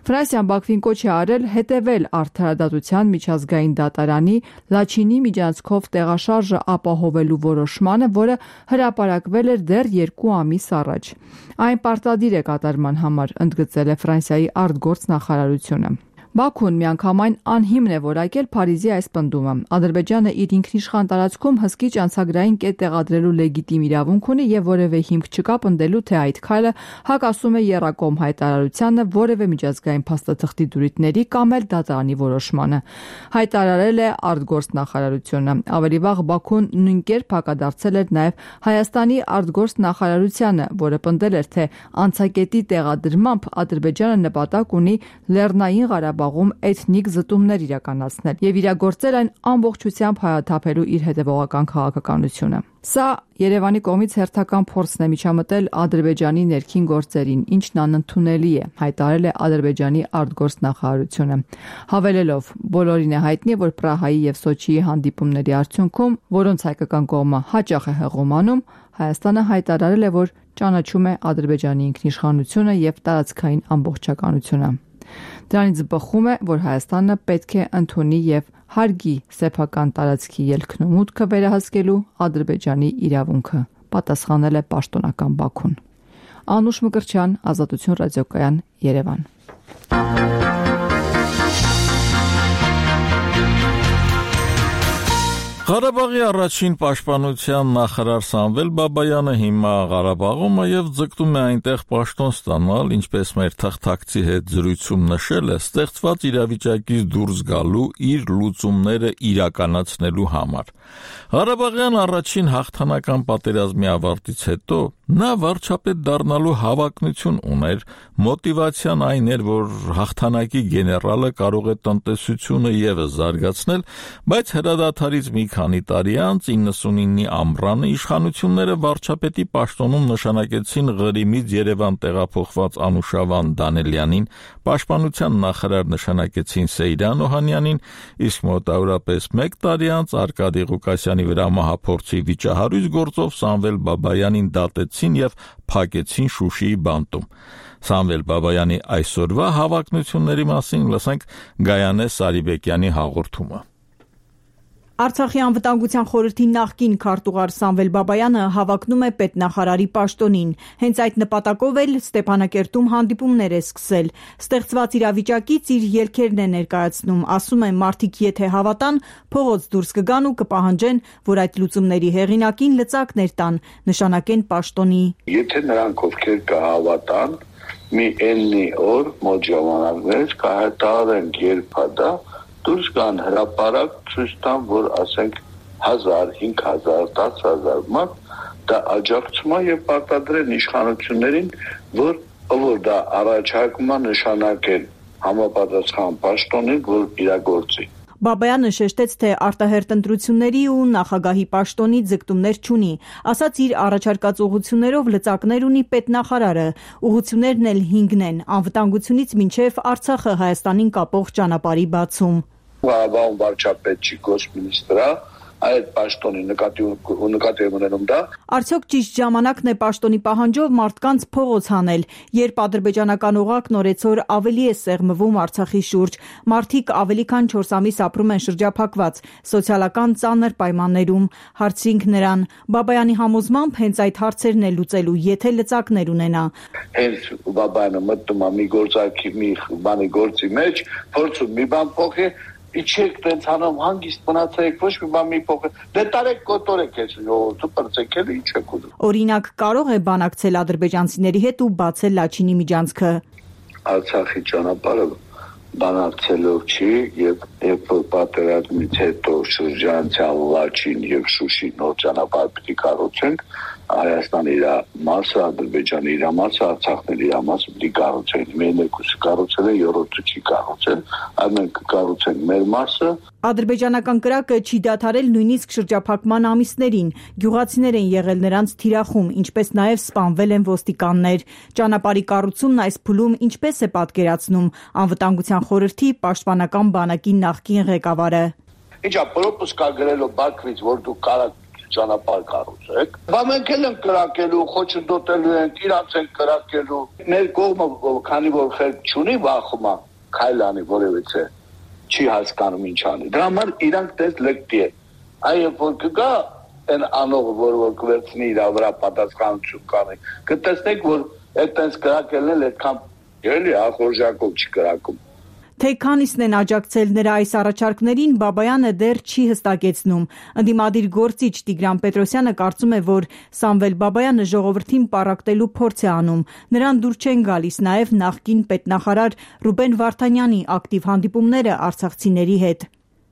Speaker 12: Ֆրանսիան Բաքվին կոչ է արել հետևել արդարադատության միջազգային դատարանի Լաչինի միջանցքով տեղաշարժը ապահովելու որոշմանը, որը հրապարակվել էր դեռ երկու ամիս առաջ։ Այն պարտադիր է կատարման համար, ընդգծել է Ֆրանսիայի արտգործնախարարությունը։ Բաքուն միանգամայն անհիմն է որակել Փարիզի այս պնդումը։ Ադրբեջանը իր ինքնիշխան տարածքում հսկիչ անցագրային կետ տեղադրելու լեգիտիմ իրավունք ունի եւ որևէ հիմք չկա պնդելու, թե այդ քայլը հակասում է եռակողմ հայտարարությանը, որևէ միջազգային փաստաթղթի դրույթների կամ էլ դատարանի որոշմանը, հայտարարել է արտգործնախարարությունը։ Ավելի վաղ Բաքուն նույնքերպ հակադարձել էր նաեւ Հայաստանի արտգործնախարարությանը, որը պնդել էր, թե անցակետի տեղադրմամբ Ադրբեջանը նպատակ ունի Լեռնային Ղարաբաղում էթնիկ զտումներ իրականացնել եւ իրագործել այն ամբողջությամբ հայաթափելու իր հետևողական քաղաքականությունը։ Սա Երևանի կողմից հերթական փորձն է միջամտել Ադրբեջանի ներքին գործերին, ինչն անընդունելի է, հայտարարել է Ադրբեջանի արտգործնախարարությունը, հավելելով. բոլորին է հայտնի, որ Պրահայի եւ Սոչիի հանդիպումների արդյունքում, որոնց հայկական կողմը հաճախ է հեղոմանում, Հայաստանը հայտարարել է, որ ճանաչում է Ադրբեջանի ինքնիշխանությունը եւ տարածքային ամբողջականությունը։ Դրանից բխում է, որ Հայաստանը պետք է ընդունի եւ հարգի սեփական տարածքի ելքն ու մուտքը վերահսկելու Ադրբեջանի իրավունքը, պատասխանել է պաշտոնական Բաքուն։ Անուշ Մկրտչյան, Ազատություն ռադիոկայան, Երևան։
Speaker 1: Ղարաբաղի առաջին պաշտպանության նախարար Սամվել Բաբայանը հիմա Ղարաբաղում է եւ ձգտում է այնտեղ պաշտոն ստանալ, ինչպես մեր թղթակցի հետ զրույցում նշել է, ստեղծված իրավիճակից դուրս գալու իր լուծումները իրականացնելու համար։ Ղարաբաղյան առաջին հաղթանական պատերազմի ավարտից հետո նա վարչապետ դառնալու հավակնություն ուներ, մոտիվացիան այն էր, որ հաղթանակի գեներալը կարող է տնտեսությունը եւս զարգացնել, բայց հրադադարից մի քանի տարի անց իննսունինի ամռանը իշխանությունները վարչապետի պաշտոնում նշանակեցին Ղրիմից Երևան տեղափոխված Անուշավան Դանելյանին, պաշտպանության նախարար նշանակեցին Սեյրան Օհանյանին, իսկ մոտավորապես մեկ տարի անց Արկադի Ղուկասյանի վրա մահափորձի վիճահարույց գործով Սամվել Բաբայանին դատեցին եւ փակեցին Շուշիի բանտում։ Սամվել Բաբայանի այսօրվա հավակնությունների մասին լսենք Գայանե Սարիբեկյանի հաղորդումը։
Speaker 5: Արցախի անվտանգության խորհրդի նախկին քարտուղար Սամվել Բաբայանը հավակնում է պետնախարարի պաշտոնին։ Հենց այդ նպատակով էլ Ստեփանակերտում հանդիպումներ է սկսել։ Ստեղծված իրավիճակից իր ելքերն է ներկայացնում, ասում է, մարդիկ եթե հավատան, փողոց դուրս կգան ու կպահանջեն, որ այդ լուծումների հեղինակին լծակներ տան, նշանակեն պաշտոնի։
Speaker 16: Եթե նրանք ովքեր կհավատան, մի էլնի օր մոտ ժամանակներ կհայտարարեն երբ դա դուրս գան հրապարակ ցույց տան, որ ասենք հազար, հինգ հազար, դաս հազար մարդ դա աջակցում է եւ պարտադրեն իշխանություններին, որ որ դա առաջարկում է նշանակել համապատասխան պաշտոնին, որ իրագործի։
Speaker 5: Բաբայանը շեշտեց, թե արտահերտ ընտրությունների ու նախագահի պաշտոնի ձգտումներ չունի, ասաց իր առաջարկած ուղղություններով լծակներ ունի պետնախարարը, ուղղություններն էլ հինգն են, անվտանգությունից մինչև Արցախը Հայաստանին կապող ճանապարհի բացում։
Speaker 16: Ղարաբաղում վարչապետ չի, գոսմինիստրա, այդ պաշտոնի նկատի նկատի ունենում դա։
Speaker 5: Արդյոք ճիշտ ժամանակն է պաշտոնի պահանջով մարդկանց փողոց հանել, երբ ադրբեջանական օղակն օրեցօր ավելի է սեղմվում Արցախի շուրջ, մարդիկ ավելի քան չորս ամիս ապրում են շրջափակված, սոցիալական ծանր պայմաններում, հարցրինք նրան, Բաբայանի համոզմամբ հենց այդ հարցերն է լուծելու, եթե լծակներ ունենա։
Speaker 16: Հենց Բաբայանը մտնում է մի գործարքի մի բանի գործի մեջ, փորձում մի բան փոխի, իջեք տենց հանում հանգիստ մնացեք, ոչ մի բան մի փոխեք, դե տարեք կոտորեք ես ժողովուրդը պրծեք էլի ինչ եք ուզում։
Speaker 5: Օրինակ կարող է բանակցել ադրբեջանցիների հետ ու բացել Լաչինի միջանցքը։
Speaker 16: Արցախի ճանապարհը բանակցելով չի եւ երբ որ պատերազմից հետո շրջանցյալ Լաչին եւ Շուշի նոր ճանապարհ պիտի կառուցենք, Հայաստանի իր մասը, Ադրբեջանի իր մասը, Արցախն իր մասը պիտի կառուցենք։ Մեր երկուսը կառուցել են, երրորդը չի կառուցել, այլ մենք կառուցենք մեր մասը։
Speaker 5: Ադրբեջանական կրակը չի դադարել նույնիսկ շրջափակման ամիսներին։ Գյուղացիներ են եղել նրանց թիրախում, ինչպես նաև սպանվել են ոստիկաններ։ Ճանապարհի կառուցումն այս փուլում ինչպես է պատկերացնում անվտանգության խորհրդի պաշտպանական բանակի նախկին ղեկավարը։
Speaker 16: Ինչա պրոպուսկա գրելով Բաքվից, որ դու կարաք ճանապարհ կառուցեք։ Բա մենք էլ ենք կրակելու, խոչընդոտելու ենք, իրանց ենք կրակելու։ Մեր կողմը, քանի որ խելք չունի, վախում է քայլանի որևիցե, չի հասկանում ինչ անի։ Դրա համար իրանք դες լեկտի է։ Այո, որ կգա այն անողը, որ որ կվերցնի իր վրա պատասխանություն կանի, կտեսնեք, որ այդտենց կրակելն էլ այդքան էլի ախորժակով չի կրակում։
Speaker 5: Թե քանիսն են աջակցել նրա այս առաջարկներին, Բաբայանը դեռ չի հստակեցնում։ Ընդդիմադիր գործիչ Տիգրան Պետրոսյանը կարծում է, որ Սամվել Բաբայանը ժողովրդին պառակտելու փորձ է անում։ Նրան դուր չեն գալիս նաև նախկին պետնախարար Ռուբեն Վարդանյանի ակտիվ հանդիպումները արցախցիների հետ։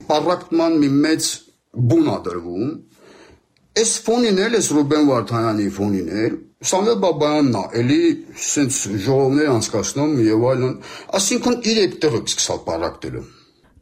Speaker 17: Պառակտման մի մեծ բուն ա դրվում։ Այս ֆոնին էլ, այս Ռուբեն Վարդանյանի ֆոնին էլ Սամվել Բաբայանն է, էլի սենց ժողովներ անցկացնում եւ այլն, այսինքն իր այդ տեղը սկսալ պառակտելու։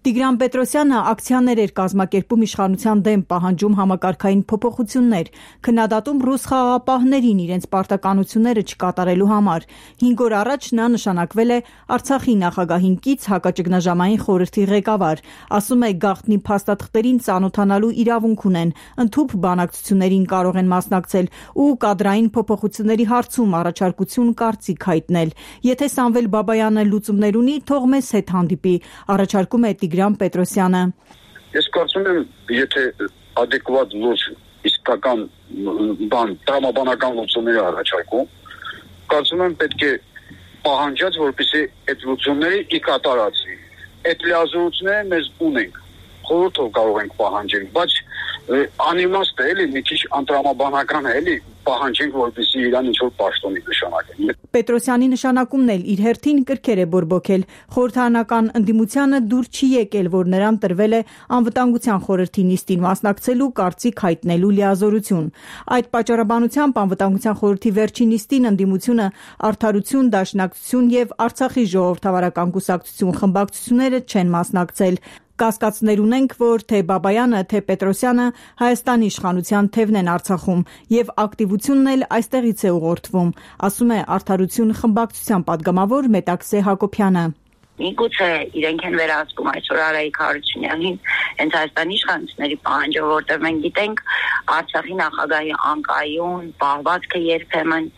Speaker 5: Տիգրան Պետրոսյանը ակցիաներ էր կազմակերպում իշխանության դեմ, պահանջում համակարգային փոփոխություններ, քննադատում ռուս խաղաղապահներին իրենց պարտականությունները չկատարելու համար։ Հինգ օր առաջ նա նշանակվել է Արցախի նախագահին կից հակաճգնաժամային խորհրդի ղեկավար։ Ասում է, գաղտնի փաստաթղթերին ծանոթանալու իրավունք ունեն, ընդհուպ բանակցություններին կարող են մասնակցել ու կադրային փոփոխությունների հարցում առաջարկություն կարծիք հայտնել։ Եթե Սամվել Բաբայանը լուծումներ ունի, թող մեզ հետ հանդիպի, առաջարկում է Տիգրան Պետրոսյանը։
Speaker 18: Ես կարծում եմ, եթե adekvat լուծ իսկական բան, տրամաբանական լուծումներ առաջարկում, կարծում եմ պետք է պահանջած, որպեսզի այդ լուծումները ի կատարածվի։ Այդ լիազորությունները մեզ ունենք, խորհրդով կարող ենք պահանջել, բայց անիմաստ է, էլի մի քիչ անտրամաբանական է, էլի պահանջենք, որպեսզի իրան ինչ-որ պաշտոնի նշանակեն։
Speaker 5: Պետրոսյանի նշանակումն էլ իր հերթին կրքեր է բորբոքել։ Խորհրդարանական ընդդիմությանը դուր չի եկել, որ նրան տրվել է անվտանգության խորհրդի նիստին մասնակցելու կարծիք հայտնելու լիազորություն։ Այդ պատճառաբանությամբ անվտանգության խորհրդի վերջին նիստին ընդդիմությունը Արդարություն, Դաշնակցություն եւ Արցախի ժողովրդավարական կուսակցություն խմբակցությունները չեն մասնակցել։ Կասկածներ ունենք, որ թե Բաբայանը, թե Պետրոսյանը Հայաստանի իշխանության թևն են Արցախում եւ ակտիվությունն էլ այստեղից է ուղղորդվում, ասում է Արդարություն խմբակցության падգամավոր Մետաքսե Հակոբյանը։
Speaker 19: Միգուցե իրենք են վերահսկում այսօր Արայիկ Հարությունյանին հենց Հայաստանի իշխանությունների պահանջով, որտեղ մենք գիտենք Արցախի նախագահի անկայուն պահվածքը երբեմն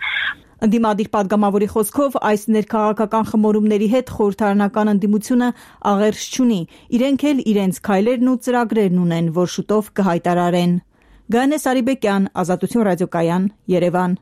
Speaker 5: Ընդդիմադիր падգամավորի խոսքով այս ներքաղաքական խմորումների հետ խորհրդարանական ընդդիմությունը աղերս չունի, իրենք էլ իրենց քայլերն ու ծրագրերն ունեն, որ շուտով կհայտարարեն։ Գայանե Սարիբեկյան, Ազատություն ռադիոկայան, Երևան։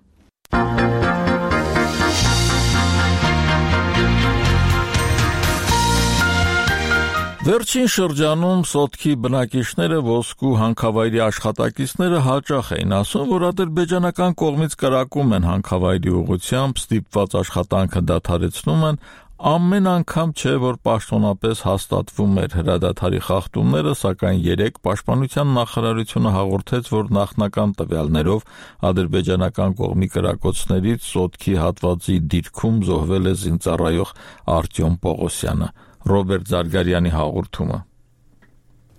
Speaker 1: Վերջին շրջանում Սոտքի բնակիչները ոսկու հանքավայրի աշխատակիցները հաճախ էին ասում, որ ադրբեջանական կողմից կրակում են հանքավայրի ուղղությամբ, ստիպված աշխատանքը դադարեցնում են, Ամեն անգամ չէ, որ պաշտոնապես հաստատվում էր հրադադարի խախտումները, սակայն երեկ Պաշտպանության նախարարությունը հաղորդեց, որ նախնական տվյալներով ադրբեջանական կողմի կրակոցներից Սոտքի հատվածի դիրքում զոհվել է զինծառայող Արտյոմ Պողոսյանը։ Ռոբերտ Զարգարյանի հաղորդումը։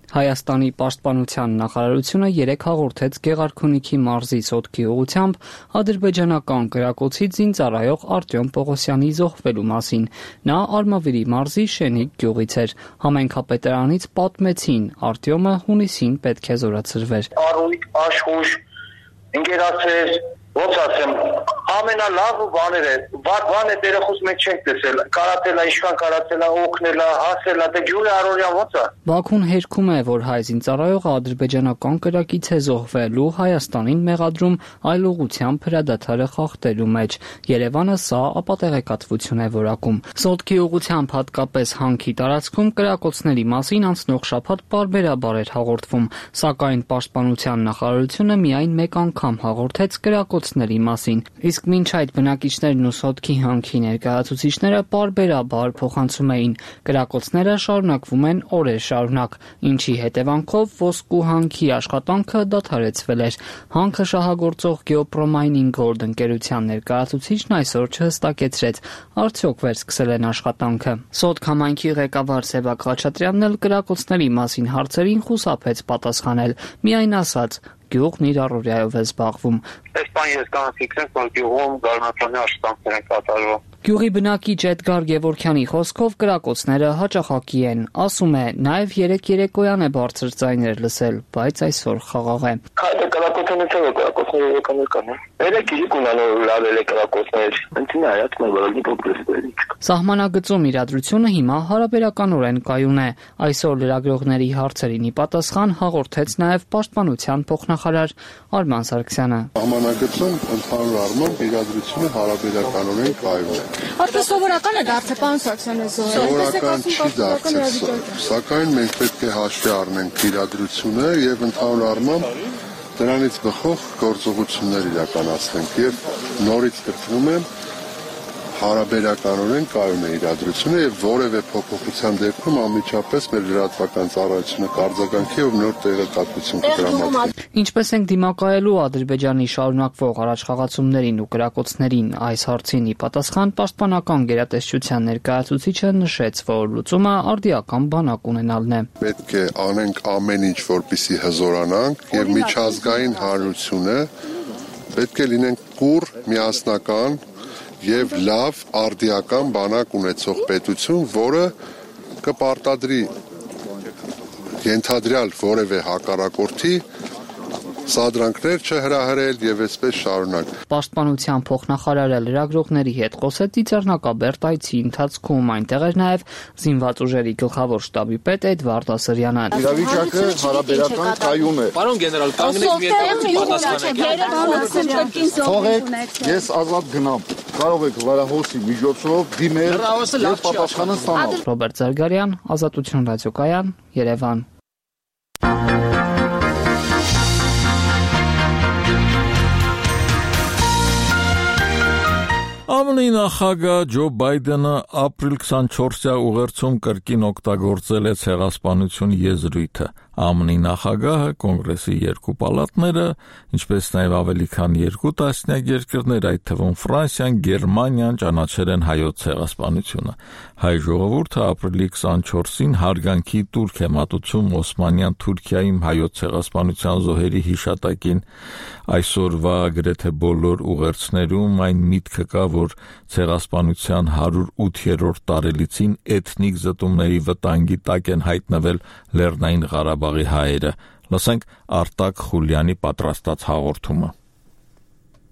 Speaker 20: Հայաստանի պաշտպանության նախարարությունը երեկ հաղորդեց Գեղարքունիքի մարզի Սոտքի ուղղությամբ ադրբեջանական կրակոցից զինծառայող Արտյոմ Պողոսյանի զոհվելու մասին։ Նա Արմավիրի մարզի Շենիկ գյուղից էր։ Համայնքապետարանից պատմեցին, Արտյոմը հունիսին պետք է զորացրվեր։
Speaker 21: Առույգ, աշխուժ, ընկերացեր, ոնց ասեմ, ամենալավ բաներ է, վատ բան է դերախոս մեջ չենք տեսել, կարացել է, ինչքան կարացել է, օգնել է, հասել է, դե ջուրը առօրյա ոնց է։
Speaker 20: Բաքուն հերքում է, որ հայ զինծառայողը ադրբեջանական կրակից է զոհվել ու Հայաստանին մեղադրում այլ ուղղությամբ հրադադարը խախտելու մեջ։ Երևանը սա ապատեղեկատվություն է որակում։ Սոտքի ուղղությամբ հատկապես հանքի տարածքում կրակոցների մասին անցնող շաբաթ պարբերաբար էր հաղորդվում, սակայն Պաշտպանության նախարարությունը միայն մեկ անգամ հաղորդեց կրակոցների մասին։ Իսկ մինչ այդ բնակիչներն ու Սոտքի հանքի ներկայացուցիչները պարբերաբար փոխանցում էին, կրակոցները շարունակվում են օրեր շարունակ, ինչի հետևանքով ոսկու հանքի աշխատանքը դադարեցվել էր։ Հանքը շահագործող Geopromining Gold ընկերության ներկայացուցիչն այսօր չհստակեցրեց, արդյոք վերսկսել են աշխատանքը։ Սոտք համայնքի ղեկավար Սևակ Խաչատրյանն էլ կրակոցների մասին հարցերին խուսափեց պատասխանել, միայն ասաց. Գյուղն իր առօրյայով է զբաղվում։
Speaker 21: Այս բան ես կարող ֆիքսենք, որ գյուղում գարնացանի աշխատանքներ են կատարվում։
Speaker 20: Գյուղի բնակիչ Էդգար Գևորքյանի խոսքով կրակոցները հաճախակի են, ասում է, նաև երեք երեկոյան է բարձր ձայներ լսել, բայց այսօր խաղաղ է։
Speaker 21: Քայլը կրակոցներից է կրակոցները եկան կան։ Երեք իրիկ ունանով լավել է կրակոցներ։ Ընտին հայաց մեր վարագի պոպլեսների։
Speaker 20: Սահմանագծում իրադրությունը հիմա հարաբերականորեն կայուն է։ Այսօր լրագրողների հարցերին ի պատասխան հաղորդեց նաև Պաշտպանության փոխնախարար Արման Սարգսյանը։
Speaker 22: Սահմանագծում ընդհանուր առմամբ իրադրությունը հարաբերականորեն կայուն է։
Speaker 23: Արդյոք սովորական է դարձել, պարոն Սարգսյանը, զոհը։
Speaker 22: Սովորական չի դարձել, սակայն մենք պետք է հաշվի առնենք իրադրությունը եւ ընդհանուր առմամբ դրանից բխող գործողություններ իրականացնենք եւ նորից կրկնում եմ հարաբերականորեն կայուն է իրադրությունը եւ որևէ փոփոխության դեպքում անմիջապես մեր լրատվական ծառայությունը կարձագանքի եւ նոր տեղեկատվություն կդրամատի։
Speaker 20: Ինչպես ենք դիմակայելու Ադրբեջանի շարունակվող առաջխաղացումներին ու կրակոցներին, այս հարցին ի պատասխան Պաշտպանական գերատեսչության ներկայացուցիչը նշեց, որ լուծումը արդիական բանակ ունենալն է։
Speaker 22: Պետք է անենք ամեն ինչ, որպեսզի հզորանանք եւ միջազգային հանրությունը պետք է լինենք կուռ, միասնական եւ լավ արդիական բանակ ունեցող պետություն, որը կպարտադրի ենթադրյալ որևէ հակառակորդի սադրանքներ չհրահրել եւ այսպես շարունակ։
Speaker 20: Պաշտպանության փոխնախարարը լրագրողների հետ խոսեց Ծիծեռնակաբերդ այցի ընթացքում, այնտեղ էր նաեւ զինված ուժերի գլխավոր շտաբի պետ Էդվարդ Ասրյանը։
Speaker 22: Իրավիճակը հարաբերական կայուն է։
Speaker 24: Պարոն գեներալ, կանգնեք մի
Speaker 22: պատասխանեք։ Թողեք, ես ազատ գնամ։ Կարող եք լրահոսի միջոցով դիմել եւ պատասխանը ստանալ։
Speaker 20: Ռոբերտ Զարգարյան, Ազատություն ռադիոկայան, Երևան։
Speaker 1: ԱՄՆ-ի նախագահ Ջո Բայդենը ապրիլ քսանչորսյա ուղերձում կրկին օգտագործել է ցեղասպանություն եզրույթը։ ԱՄՆ-ի նախագահը կոնգրեսի երկու պալատները, ինչպես նաև ավելի քան երկու տասնյակ երկրներ, այդ թվում Ֆրանսիան, Գերմանիան ճանաչել են հայոց ցեղասպանությունը։ Հայ ժողովուրդը ապրիլի քսանչորսին հարգանքի տուրք է մատուցում Օսմանյան Թուրքիայում հայոց ցեղասպանության զոհերի հիշատակին։ Այսօրվա գրեթե բոլոր ուղերձներում այն միտքը կա, որ ցեղասպանության հարյուր ութերորդ տարելիցին էթնիկ զտումների վտանգի տակ են հայտնվել Լեռնային Ղարաբաղի հայերը։ Լսենք Արտակ Խուլյանի պատրաստած հաղորդումը։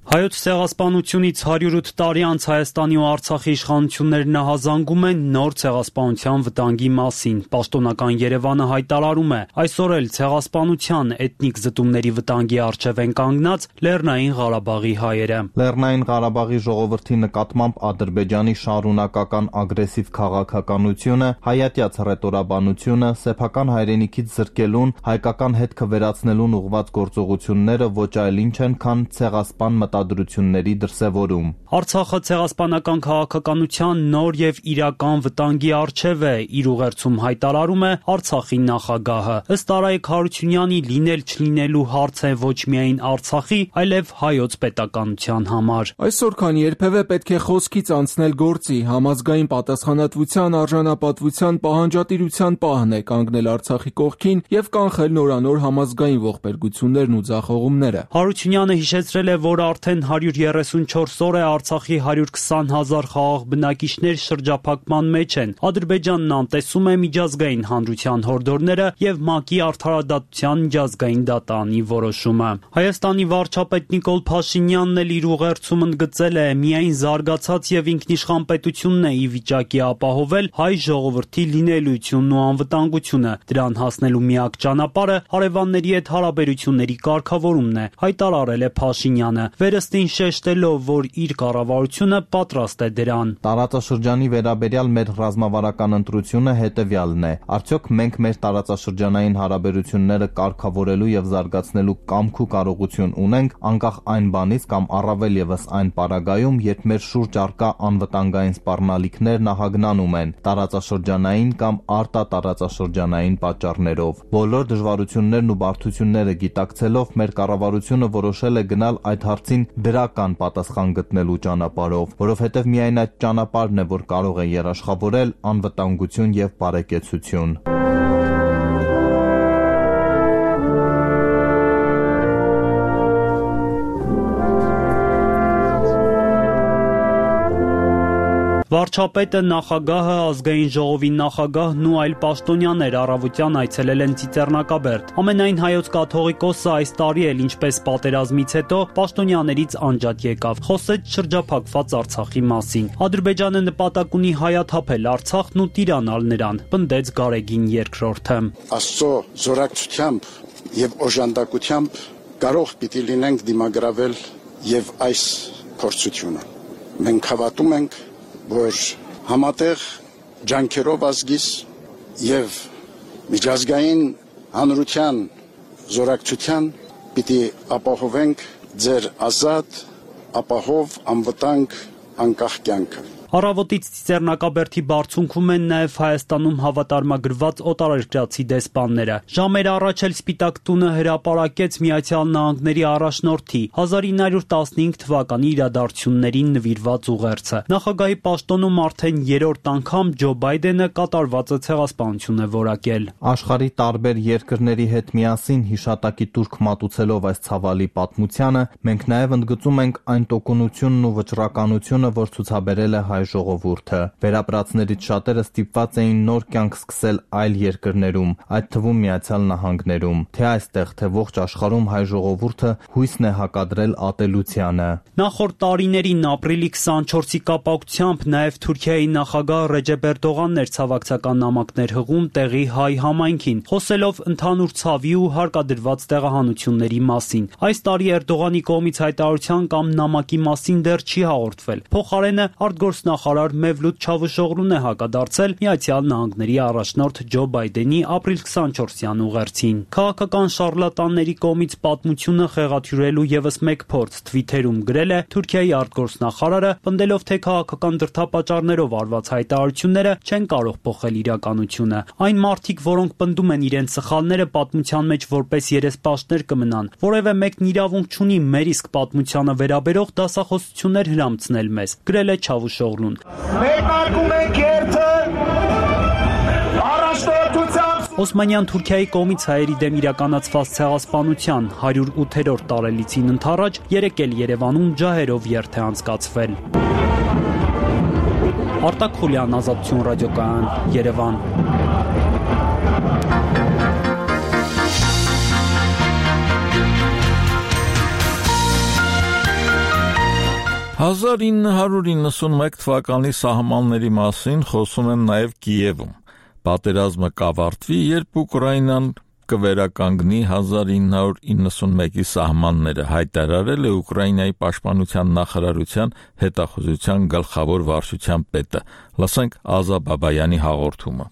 Speaker 25: Հայոց ցեղասպանությունից հարյուր ութ տարի անց Հայաստանի ու Արցախի իշխանություններն նահանջում են նոր ցեղասպանության վտանգի մասին։ Պաշտոնական Երևանը հայտարարում է, այսօր էլ ցեղասպանության էթնիկ զտումների վտանգի առջև են կանգնած Լեռնային Ղարաբաղի հայերը։
Speaker 14: Լեռնային Ղարաբաղի ժողովրդի նկատմամբ Ադրբեջանի շարունակական ագրեսիվ քաղաքականությունը, հայատյաց հռետորաբանությունը, սեփական հայրենիքից զրկելուն, հայկական հետքը վերացնելուն ուղղված գործողությունները ոչ այլ ինչ են, քան ցեղասպան մտադրությունների դրսևորում։
Speaker 25: Արցախը ցեղասպանական քաղաքականության նոր եւ իրական վտանգի առջեւ է, իր ուղերձում հայտարարում է Արցախի նախագահը։ Ըստ Արայք Հարությունյանի լինել չլինելու հարց է ոչ միայն Արցախի, այլև հայոց պետականության համար։
Speaker 2: Այսօր քան երբևէ պետք է խոսքից անցնել գործի, համազգային պատասխանատվության, արժանապատվության, պահանջատիրության պահն է կանգնել Արցախի կողքին եւ կանխել նորանոր համազգային ողբերգություններն ու ձախողումները։
Speaker 25: Հարությունյանը հիշեցրել է, որ արդեն հարյուր երեսունչորս օր է Արցախի հարյուր քսան հազար խաղաղ բնակիչներ շրջափակման մեջ են։ Ադրբեջանն անտեսում է միջազգային հանրության հորդորները եւ ՄԱԿ-ի արդարադատության միջազգային դատարանի որոշումը։ Հայաստանի վարչապետ Նիկոլ Փաշինյանն էլ իր ուղերձում ընդգծել է, միայն զարգացած եւ ինքնիշխան պետությունն է ի վիճակի ապահովել հայ ժողովրդի լինելիությունն ու անվտանգությունը։ Դրան հասնելու միակ ճանապարհը հարևանների հետ հարաբերությունների կարգավորումն է, հայտարարել է Փաշինյանը, վերստին շեշտելով, որ իր կառավարությունը պատրաստ է դրան։
Speaker 14: Տարածաշրջանի վերաբերյալ մեր ռազմավարական ընտրությունը հետևյալն է. արդյոք մենք մեր տարածաշրջանային հարաբերությունները կարգավորելու եւ զարգացնելու կամք ու կարողություն ունենք, անկախ այն բանից կամ առավել եւս այն պարագայում, երբ մեր շուրջ առկա անվտանգային սպառնալիքներ նահագնանում են տարածաշրջանային կամ արտատարածաշրջանային պատճառներով։ Բոլոր դժվարություններն ու բարդությունները գիտակցելով մեր կառավարությունը որոշել է գնալ այդ հարցին դրական պատասխան գտնելու ճանապարհով, որովհետև միայն այդ ճանապարհն է, որ կարող է երաշխավորել անվտանգություն եւ բարեկեցություն։
Speaker 25: Վարչապետը, նախագահը, ազգային ժողովի նախագահն ու այլ պաշտոնյաներ առավոտյան այցելել են Ծիծեռնակաբերդ։ Ամենայն հայոց կաթողիկոսը այս տարի էլ, ինչպես պատերազմից հետո, պաշտոնյաներից անջատ եկավ, խոսեց շրջափակված Արցախի մասին։ Ադրբեջանը նպատակ ունի հայաթափել Արցախն ու տիրանալ նրան, պնդեց Գարեգին երկրորդը։
Speaker 4: Աստծո զորակցությամբ եւ օժանդակությամբ կարող պիտի լինենք դիմագրավել եւ այս փորձությունը։ Մենք հավատում ենք, որ համատեղ ջանքերով ազգիս եւ միջազգային հանրության զորակցության պիտի ապահովենք ձեր ազատ, ապահով, անվտանգ, անկախ կյանքը։
Speaker 25: Առավոտից Ծիծեռնակաբերդի բարձունքում են նաև Հայաստանում հավատարմագրված օտարերկրացի դեսպանները։ Ժամեր առաջ էլ Սպիտակ տունը հրապարակեց Միացյալ Նահանգների առաջնորդի հազար ինը հարյուր տասնհինգ թվականի իրադարձություններին նվիրված ուղերձը։ Նախագահի պաշտոնում արդեն երրորդ անգամ Ջո Բայդենը կատարվածը ցեղասպանություն է որակել։
Speaker 14: Աշխարհի տարբեր երկրների հետ միասին հիշատակի տուրք մատուցելով այս ցավալի պատմությանը, մենք նաև ընդգծում ենք այն տոկունությունն ու վճռականությունը, որ ցուցաբերել է հայ ժողովուրդը։ Վերապրածներից շատերը ստիպված էին նոր կյանք սկսել այլ երկրներում, այդ թվում Միացյալ Նահանգներում։ Թե այստեղ, թե ողջ աշխարհում հայ ժողովուրդը հույսն է հակադրել ատելությանը։
Speaker 25: Նախորդ տարիներին ապրիլի քսանչորսի կապակցությամբ նաև Թուրքիայի նախագահ Ռեջեփ Էրդողանն էր ցավակցական նամակներ հղում տեղի հայ համայնքին, խոսելով ընդհանուր ցավի ու հարկադրված տեղահանությունների մասին։ Այս տարի Էրդողանի կողմից հայտարարության կամ նամակի մասին դեռ չի հաղորդվել։ Փոխարենը արտգործնախարար Մևլութ Չավուշօղլուն է հակադարձել Միացյալ Նահանգների առաջնորդ Ջո Բայդենի ապրիլ քսանչորսյան ուղերձին։ Քաղաքական շարլատանների կողմից պատմությունը խեղաթյուրելու ևս մեկ փորձ Թվիթերում գրել է Թուրքիայի արտգործնախարարը, պնդելով, թե քաղաքական դրդապատճառներով արված հայտարարությունները չեն կարող փոխել իրականությունը։ Այն մարդիկ, որոնք պնդում են իրենց սխալները պատմության մեջ որպես երեսպաշտներ կմնան, որևէ մեկն իրավունք չունի մեր իսկ պատմությանը վերաբերող դասախոսություններ հրամցնել մեզ, գրել է Չավուշօղլուն։
Speaker 6: Մեկնարկում ենք երթը առաջնորդությամբ
Speaker 25: Օսմանյան Թուրքիայի կողմից հայերի դեմ իրականացված ցեղասպանության հարյուր ութերորդ տարելիցին ընթառաջ երեկ էլ Երևանում ջահերով երթ է անցկացվել։ Արտակ Խուլյան, Ազատություն ռադիոկայան, Երևան։
Speaker 1: հազար ինը հարյուր իննսունմեկ թվականի սահմանների մասին խոսում են նաև Կիևում։ Պատերազմը կավարտվի, երբ Ուկրաինան կվերականգնի հազար ինը հարյուր իննսունմեկի սահմանները, հայտարարել է Ուկրաինայի պաշտպանության նախարարության հետախուզության գլխավոր վարչության պետը։ Լսենք Ազա Բաբայանի հաղորդումը։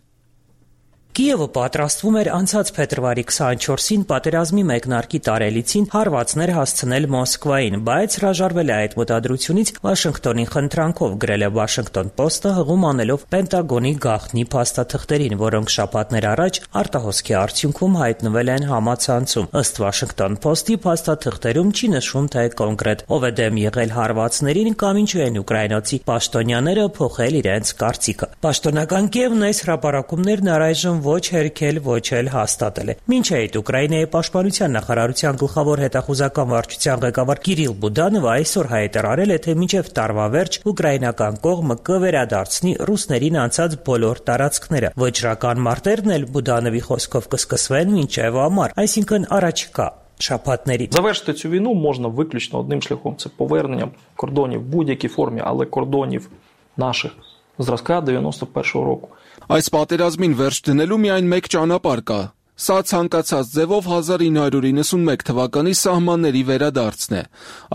Speaker 7: Կիևը պատրաստվում էր անցած փետրվարի քսանչորսին պատերազմի մեկնարկի տարելիցին հարվածներ հասցնել Մոսկվային, բայց հրաժարվել է այդ մտադրությունից Վաշինգտոնի խնդրանքով, գրել է Washington Post-ը, հղում անելով Պենտագոնի գաղտնի փաստաթղթերին, որոնք շաբաթներ առաջ արտահոսքի արդյունքում հայտնվել են համացանցում։ Ըստ Washington Post-ի փաստաթղթերում չի նշվում, թե կոնկրետ ով է դեմ եղել հարվածներին կամ ինչու են ուկրաինացի պաշտոնյաները փոխել իրենց կարծիքը։ Պաշտոնական Կիևն այս հրապարակումներն առայժմ ոչ հերքել, ոչ էլ հաստատել է։ Մինչ այդ Ուկրաինայի պաշտպանության նախարարության գլխավոր հետախուզական վարչության ղեկավար Կիրիլ Բուդանովը այսօր հայտարարել է, թե մինչև տարվա վերջ ուկրաինական կողմը կվերադարձնի ռուսներին անցած բոլոր տարածքները։ Վճռական մարտերն էլ Բուդանովի խոսքով կսկսվեն մինչև ամառ, այսինքն առաջիկա շաբաթների։
Speaker 8: Завершити цю війну можна виключно одним шляхом – це поверненням кордонів в будь-якій формі, але кордонів наших зразка дев'яносто першого року.
Speaker 2: Այս պատերազմին վերջ դնելու միայն մեկ ճանապարհ կա։ Սա ցանկացած ձևով հազար ինը հարյուր իննսունմեկ թվականի սահմանների վերադարձն է։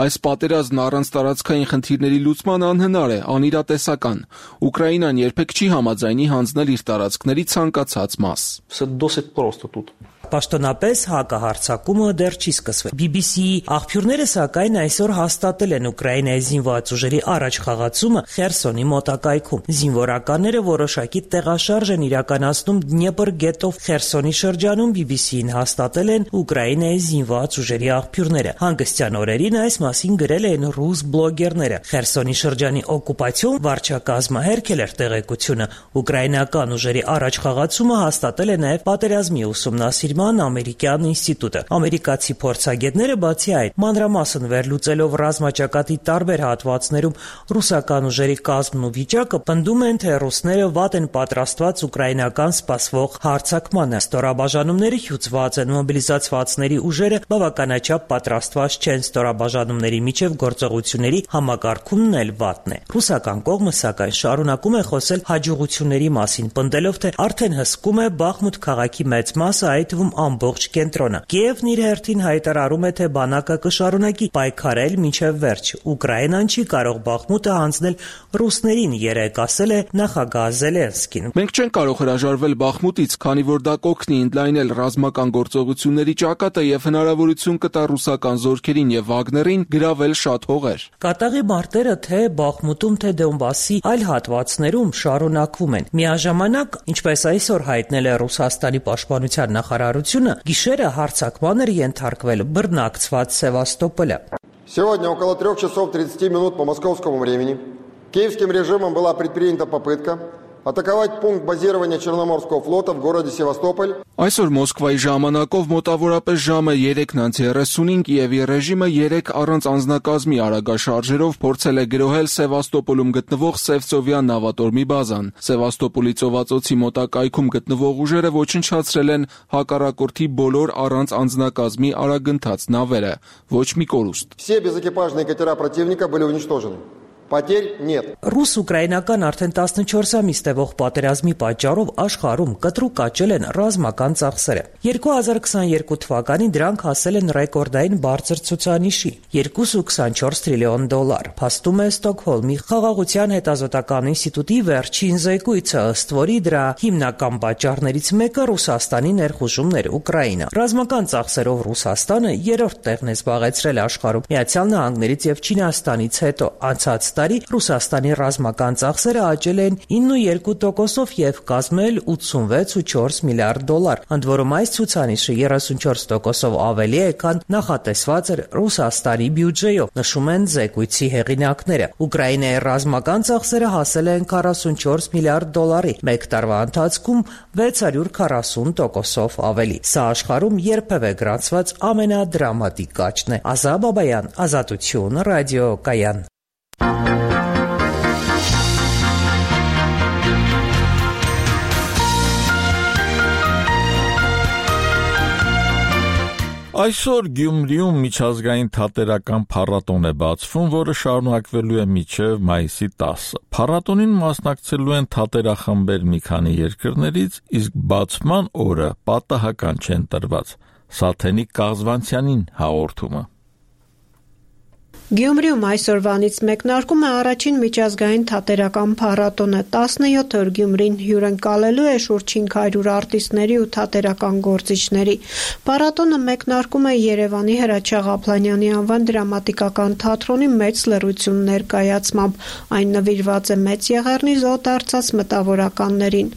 Speaker 2: Այս պատերազմն առանց տարածքային խնդիրների լուծման անհնար է, անիրատեսական։ Ուկրաինան երբեք չի համաձայնի հանձնել իր տարածքների ցանկացած մաս։
Speaker 8: Все досить просто тут.
Speaker 7: Պաշտոնապես հակահարձակումը դեռ չի սկսվել։ B B C-ի աղբյուրները սակայն այսօր հաստատել են Ուկրաինայի զինված ուժերի առաջխաղացումը Խերսոնի մոտակայքում։ Զինվորականները որոշակի տեղաշարժ են իրականացնում Դնեպր գետով Խերսոնի շրջանում, B B C-ին հաստատել են Ուկրաինայի զինված ուժերի աղբյուրները։ Հանգստյան օրերին այս մասին գրել են ռուս բլոգերները։ Խերսոնի շրջանի օկուպացիոն վարչակազմը հերքել էր տեղեկությունը։ Ուկրաինական ուժերի առաջխաղացումը հաստատել է նաև պատերազմի ուսումնասիրման ամերիկյան ինստիտուտը։ Ամերիկացի փորձագետները բացի այդ մանրամասն վերլուծելով ռազմաճակատի տարբեր հատվածներում ռուսական ուժերի կազմն ու վիճակը, պնդում են, թե ռուսները վատ են պատրաստված ուկրաինական սպասվող հարձակմանը։ Ստորաբաժանումները հյուծված են, մոբիլիզացվածների ուժերը բավականաչափ պատրաստված չեն, ստորաբաժանումների միջև գործողությունների համակարգումն էլ վատն է։ Ռուսական կողմը սակայն շարունակում է խոսել հաջողությունների մասին, պնդելով, թե արդեն հսկում է Բախմուտ քաղաքի մեծ մասը, այդ թվում ամբողջ կենտրոնը։ Կիևն իր հերթին հայտարարում է, թե բանակը կշարունակի պայքարել մինչև վերջ։ Ուկրաինան չի կարող Բախմուտը հանձնել ռուսներին, երեկ ասել է նախագահ Զելենսկին։
Speaker 2: Մենք չենք կարող հրաժարվել Բախմուտից, քանի որ դա կօգնի ընդլայնել ռազմական գործողությունների ճակատը եւ հնարավորություն կտա ռուսական զորքերին եւ Վագներին գրավել շատ հողեր։
Speaker 7: Կատաղի մարտերը թե Բախմուտում, թե Դոնբասի այլ հատվածներում շարունակվում են։ Միաժամանակ, ինչպես այսօր հայտնել է Ռուսաստանի պաշտպանության նախարարությունը, գիշերը հարձակման էր ենթարկվել բռնակցված Սևաստոպոլը։
Speaker 9: Сегодня около трех часов тридцати минут по московскому времени киевским режимом была предпринята попытка атаковать пункт базирования Черноморского флота в городе Севастополь.
Speaker 2: Այսօր Մոսկվայի ժամանակով մոտավորապես ժամը երեքն անց երեսունին Կիևի ռեժիմը երեք առանց անձնակազմի արագաշարժերով փորձել է գրոհել Սևաստոպոլում գտնվող Սևծովյան նավատորմի բազան։ Սևաստոպոլի ծովածոցի մոտակայքում գտնվող ուժերը ոչնչացրել են հակառակորդի բոլոր առանց անձնակազմի արագընթաց նավերը։ Ոչ մի կորուստ։
Speaker 9: Все безэкипажные катера противника были уничтожены. Потерь нет.
Speaker 7: Ռուս-ուկրաինական արդեն տասնչորս ամիս տևող պատերազմի պատճառով աշխարհում կտրուկ աճել են ռազմական ծախսերը։ երկու հազար քսաներկու թվականին դրանք հասել են ռեկորդային բարձր ցուցանիշի՝ երկու կողմ քսանչորս տրիլիոն դոլար, փաստում է Ստոկհոլմի խաղաղության հետազոտական ինստիտուտի վերջին զեկույցը, ըստ որի դրա հիմնական պատճառներից մեկը Ռուսաստանի ներխուժումն էր Ուկրաինա։ Ռազմական ծախսերով Ռուսաստանը երրորդ տեղն է զբաղեցրել աշխարհում Միացյալ Նահանգներից եւ Չինաստանից հետո։ Անցած տարի Ռուսաստանի ռազմական ծախսերը աճել են ինը կողմ երկու տոկոսով եւ կազմել ութսունվեց կողմ չորս միլիարդ դոլար, ընդ որում այս ցուցանիշը երեսունչորս տոկոսով ավելի է, քան նախատեսված էր Ռուսաստանի բյուջեով, նշում են զեկույցի հեղինակները։ Ուկրաինայի ռազմական ծախսերը հասել են քառասունչորս միլիարդ դոլարի, մեկ տարվա ընթացքում վեց հարյուր քառասուն տոկոսով ավելի։ Սա աշխարհում երբևէ գրանցված ամենադրամատիկ աճն է։ Ազա Բաբայան, Ազատություն, ռադիոկայան։
Speaker 1: Այսօր Գյումրիում միջազգային թատերական փառատոն է բացվում, որը շարունակվելու է մինչև մայիսի տասը։ Փառատոնին մասնակցելու են թատերախմբեր մի քանի երկրներից, իսկ բացման օրը պատահական չեն տրված։ Սաթենիկ Կաղզվանցյանին հաղորդումը։
Speaker 3: Գյումրիում այսօրվանից մեկնարկում է առաջին միջազգային թատերական փառատոնը։ տասնյոթ օր Գյումրին հյուրընկալելու է շուրջ հինգ հարյուր արտիստների ու թատերական գործիչների։ Փառատոնը մեկնարկում է Երևանի Հրաչյա Ղափլանյանի անվան դրամատիկական թատրոնի մեծ լռություն ներկայացմամբ։ Այն նվիրված է Մեծ Եղեռնի զոհ դարձած մտավորականներին։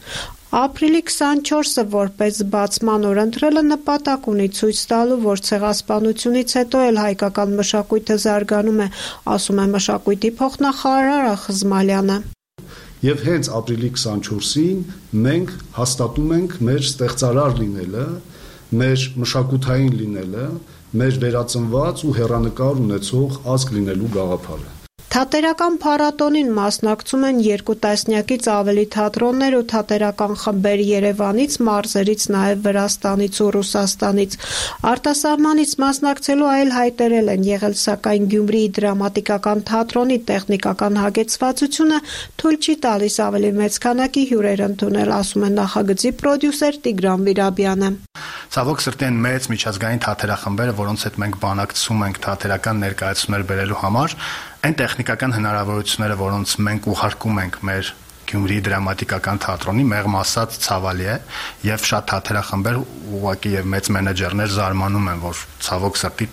Speaker 3: Ապրիլի քսանչորսը որպես բացման օր ընտրելը նպատակ ունի ցույց տալու, որ ցեղասպանությունից հետո էլ հայկական մշակույթը զարգանում է, ասում է մշակույթի փոխնախարար Խզմալյանը։
Speaker 10: Եվ հենց ապրիլի քսանչորսին մենք հաստատում ենք մեր ստեղծարար լինելը, մեր մշակութային լինելը, մեր վերածնված ու հեռանկար ունեցող ազգ լինելու գաղափարը։
Speaker 3: Թատերական փառատոնին մասնակցում են երկու տասնյակից ավելի թատրոններ ու թատերական խմբեր Երևանից, մարզերից, նաև Վրաստանից ու Ռուսաստանից։ Արտասահմանից մասնակցելու այլ հայտերել են եղել, սակայն Գյումրիի դրամատիկական թատրոնի տեխնիկական հագեցվածությունը թույլ չի տալիս ավելի մեծ քանակի հյուրեր ընդունել, ասում է նախագծի պրոդյուսեր Տիգրան Վիրաբյանը։
Speaker 11: Ցավոք սրտի են մեծ միջազգային թատերախմբերը, որոնց հետ մենք բանակցում ենք թատերական ներկայացումներ բերելու համար, այն տեխնիկական հնարավորությունները, որոնց մենք ուղարկում ենք մեր Գյումրիի դրամատիկական թատրոնի, մեղմ ասած ցավալի է, եւ շատ թատերախմբեր ուղղակի եւ մեծ մենեջերներ զարմանում են, որ ցավոք սրտի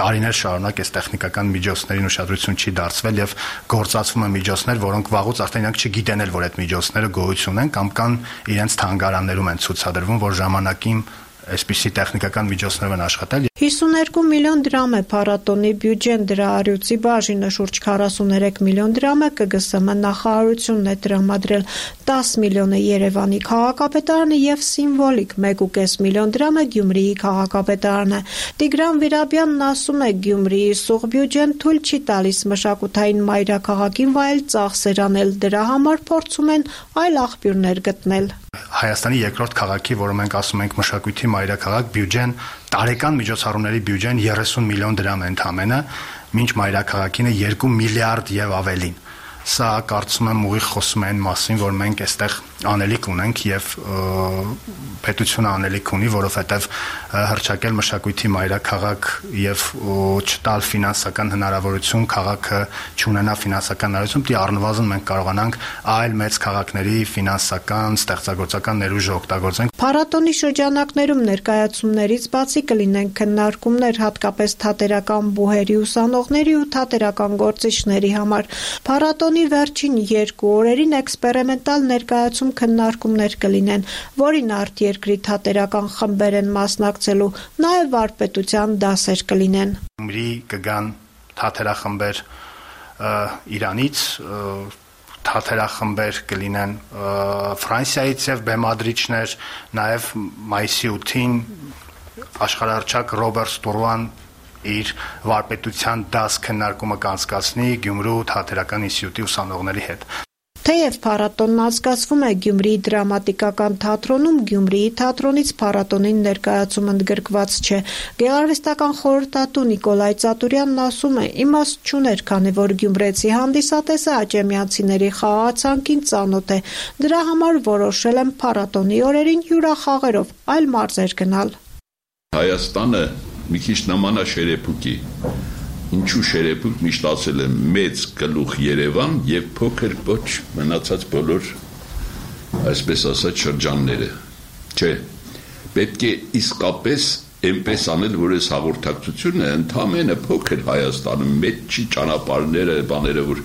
Speaker 11: տարիներ շարունակ այս տեխնիկական միջոցներին ուշադրություն չի դարձվել եւ գործածվում են միջոցներ, որոնք վաղուց արդեն իրանք չգիտեն էլ, որ այդ միջոցները գոյություն են կամ կան իրենց թանգարաններում են ցուցադրվում, որ ժամանակին այսպիսի տեխնիկական միջոցներով են աշխատել։
Speaker 3: հիսունհինգ միլիոն դրամ է փառատոնի բյուջեն, դրա առյուծի բաժինը շուրջ քառասուններեք միլիոն դրամ է ԿԳՍՄ նախարարությունն է տրամադրել, տասը միլիոն է Երևանի քաղաքապետարանը եւ սիմվոլիկ մեկ ու կես միլիոն դրամ է Գյումրիի քաղաքապետարանը։ Տիգրան Վիրաբյանն ասում է, Գյումրիի սուղ բյուջեն թույլ չի տալիս մշակութային մայրաքաղաքին վայել ծախսեր անել, դրա համար փորձում են այլ աղբյուրներ գտնել։
Speaker 11: Հայաստանի երկրորդ քաղաքի, որը մենք ասում ենք մշակույթի մայրաքաղաք, բյուջեն, տարեկան միջոցառումների բյուջեն երեսուն միլիոն դրամ է ընդամենը, մինչ մայրաքաղաքինը երկու միլիարդ եւ ավելին։ Սա կարծում եմ ուղիղ խոսում է այն մասին, որ մենք այստեղ անելիք ունենք եւ պետությունը անելիք ունի, որովհետեւ հրճակել մշակույթի մայրաքաղաք եւ չտալ ֆինանսական հնարավորություն, քաղաքը չունենա ֆինանսական հնարավորություն, դի առնվազն մենք կարողանանք այլ մեծ քաղաքների ֆինանսական, ստեղծագործական ներուժը օգտագործենք։
Speaker 3: Փառատոնի շրջանակներում ներկայացումներից բացի կլինեն քննարկումներ հատկապես թատերական բուհերի ուսանողների ու թատերական գործիչների համար։ Փառատոնի վերջին երկու օրերին էքսպերիմենտալ ներկայացում քննարկումներ կլինեն, որին արտերկրի թատերական խմբեր են մասնակցելու, նաև վարպետության դասեր կլինեն։
Speaker 11: Գյումրի կգան թատերախմբեր Իրանից, թատերախմբեր կլինեն Ֆրանսիայից եւ բեմադրիչներ, նաև մայիսի ութին աշխարհահռչակ Ռոբերտ Ստուրուան իր վարպետության դաս քննարկումը կանցկացնի Գյումրու թատերական ինստիտուտի ուսանողների հետ։
Speaker 3: Թեև փառատոնն անցկացվում է Գյումրիի դրամատիկական թատրոնում, Գյումրիի թատրոնից փառատոնին ներկայացում ընդգրկված չէ։ Գեղարվեստական խորհրդատու Նիկոլայ Ծատուրյանն ասում է, իմաստ չուներ, քանի որ գյումրեցի հանդիսատեսը աճեմյանցիների խաղացանկին ծանոթ է։ Դրա համար որոշել եմ փառատոնի օրերին հյուրախաղերով այլ մարզեր գնալ։
Speaker 13: Հայաստանը մի քիչ նման է Շերեփուկի։ Ինչու Շերեփուկ միշտ ասել է մեծ գլուխ Երևան եւ փոքր ոչ մնացած բոլոր այսպես ասած շրջանները։ Չէ, պետք է իսկապես այնպես անել, որ այս հաղորդակցությունը ընդամենը փոքր Հայաստանում մեծ չի ճանապարհները, բաները, որ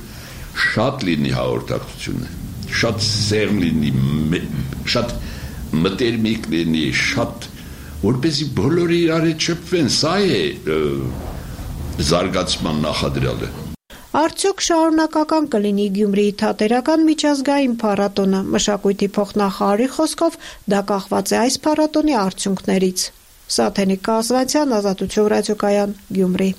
Speaker 13: շատ լինի հաղորդակցությունը, շատ սերմ լինի, շատ մտերմիկ լինի, շատ որպեսզի բոլորը իրար հետ շփվեն, սա է զարգացման նախադրյալը։
Speaker 3: Արդյոք շարունակական կլինի Գյումրիի թատերական միջազգային փառատոնը։ Մշակույթի փոխնախարարի խոսքով դա կախված է այս փառատոնի արդյունքներից։ Սաթենիկ Կազվանցյան, Ազատություն ռադիոկայան, Գյումրի։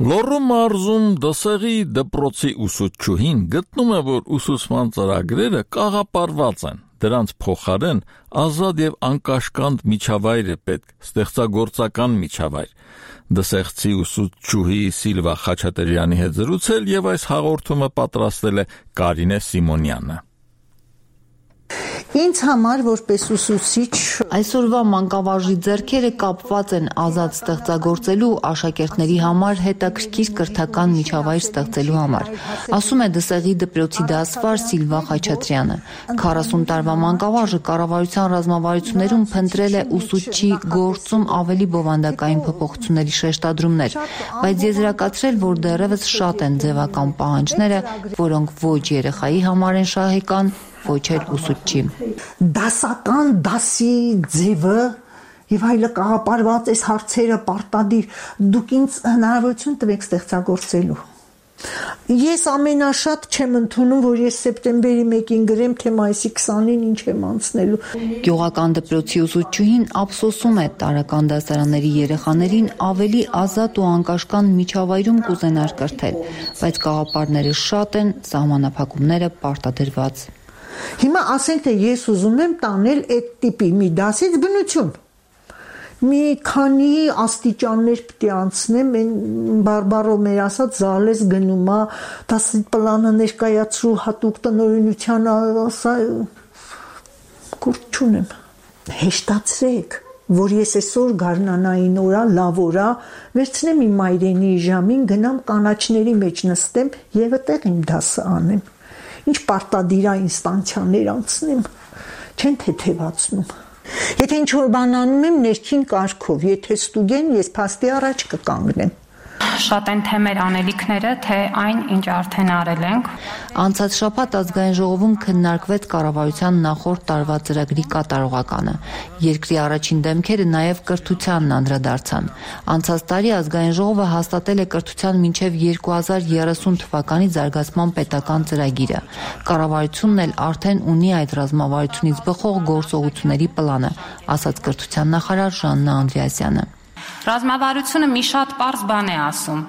Speaker 1: Լոռու մարզում դասեղի դպրոցի ուսուցչուհին գտնում է, որ ուսուցման ծրագրերը կաղապարված են, դրանց փոխարեն ազատ եւ անկաշկանդ միջավայր է պետք, ստեղծագործական միջավայր։ Դասեղցի ուսուցչուհի Սիլվա Խաչատրյանի հետ զրուցել եւ այս հաղորդումը պատրաստել է Կարինե Սիմոնյանը։
Speaker 12: Ինձ համար որպես ուսուցիչ
Speaker 15: այսօրվա մանկավարժի ձեռքերը կապված են ազատ ստեղծագործելու աշակերտների համար հետաքրքիր կրթական միջավայր ստեղծելու համար, ասում է Դսեղի դպրոցի դասվար Սիլվա Խաչատրյանը։ քառասուն տարվա մանկավարժը կառավարության ռազմավարություններում փնտրել է ուսուցչի գործում ավելի բովանդակային փոփոխությունների շեշտադրումներ, բայց եզրակացրել, որ դեռևս շատ են ձևական պահանջները, որոնք ոչ երեխայի համար են շահեկան, ոչ էլ ուսուցչի։
Speaker 12: Դասական դասի ձևը եւ այլը կաղապարված այս հարցերը պարտադիր դուք ինձ հնարավորություն տվեք ստեղծագործելու։ Ես ամենաշատ չեմ ընդունում, որ ես սեպտեմբերի մեկին գրեմ, թե մայիսի քսանին ինչ եմ անցնելու։
Speaker 15: Գյուղական դպրոցի ուսուցչուհին ափսոսում է տարրական դասարանների երեխաներին ավելի ազատ ու անկաշկանդ միջավայրում կուզենար կրթել, բայց գաղափարները շատ են, սահմանափակումները պարտադրված։
Speaker 12: Հիմա ասենք, թե ես ուզում եմ տանել այդ տիպի մի դասից բնություն։ Մի քանի աստիճաններ պիտի անցնեմ, այն բարբարով մեր ասած զալես գնում է, դասի պլանը ներկայացրու հատուկ տնօրինության, ասա կուրջ չունեմ։ Հեշտացրեք, որ ես այսօր գարնանային օրա, լավ օրա, վերցնեմ իմ մայրենի ժամին, գնամ կանաչների մեջ նստեմ եւ այդտեղ իմ դասը անեմ։ Ինչ պարտադիր է ինստանցիաներ անցնեմ, չեն թեթևացնում։ Եթե ինչ-որ բան անում եմ ներքին կարգով, եթե ստուգեն, ես փաստի առաջ կկանգնեմ։
Speaker 16: Շատ են թե մեր անելիքները, թե այն, ինչ արդեն արել ենք։
Speaker 15: Անցած շաբաթ ազգային ժողովում քննարկվեց կառավարության նախորդ տարվա ծրագրի կատարողականը։ Երկրի առաջին դեմքերը նաև կրթությանն անդրադարձան։ Անցած տարի ազգային ժողովը հաստատել է կրթության մինչև երկու հազար երեսուն թվականի զարգացման պետական ծրագիրը։ Կառավարությունն էլ արդեն ունի այդ ռազմավարությունից բխող գործողությունների պլանը, ասաց կրթության նախարար Ժաննա Անդրեասյանը։
Speaker 16: Ռազմավարությունը մի շատ պարզ բան է ասում,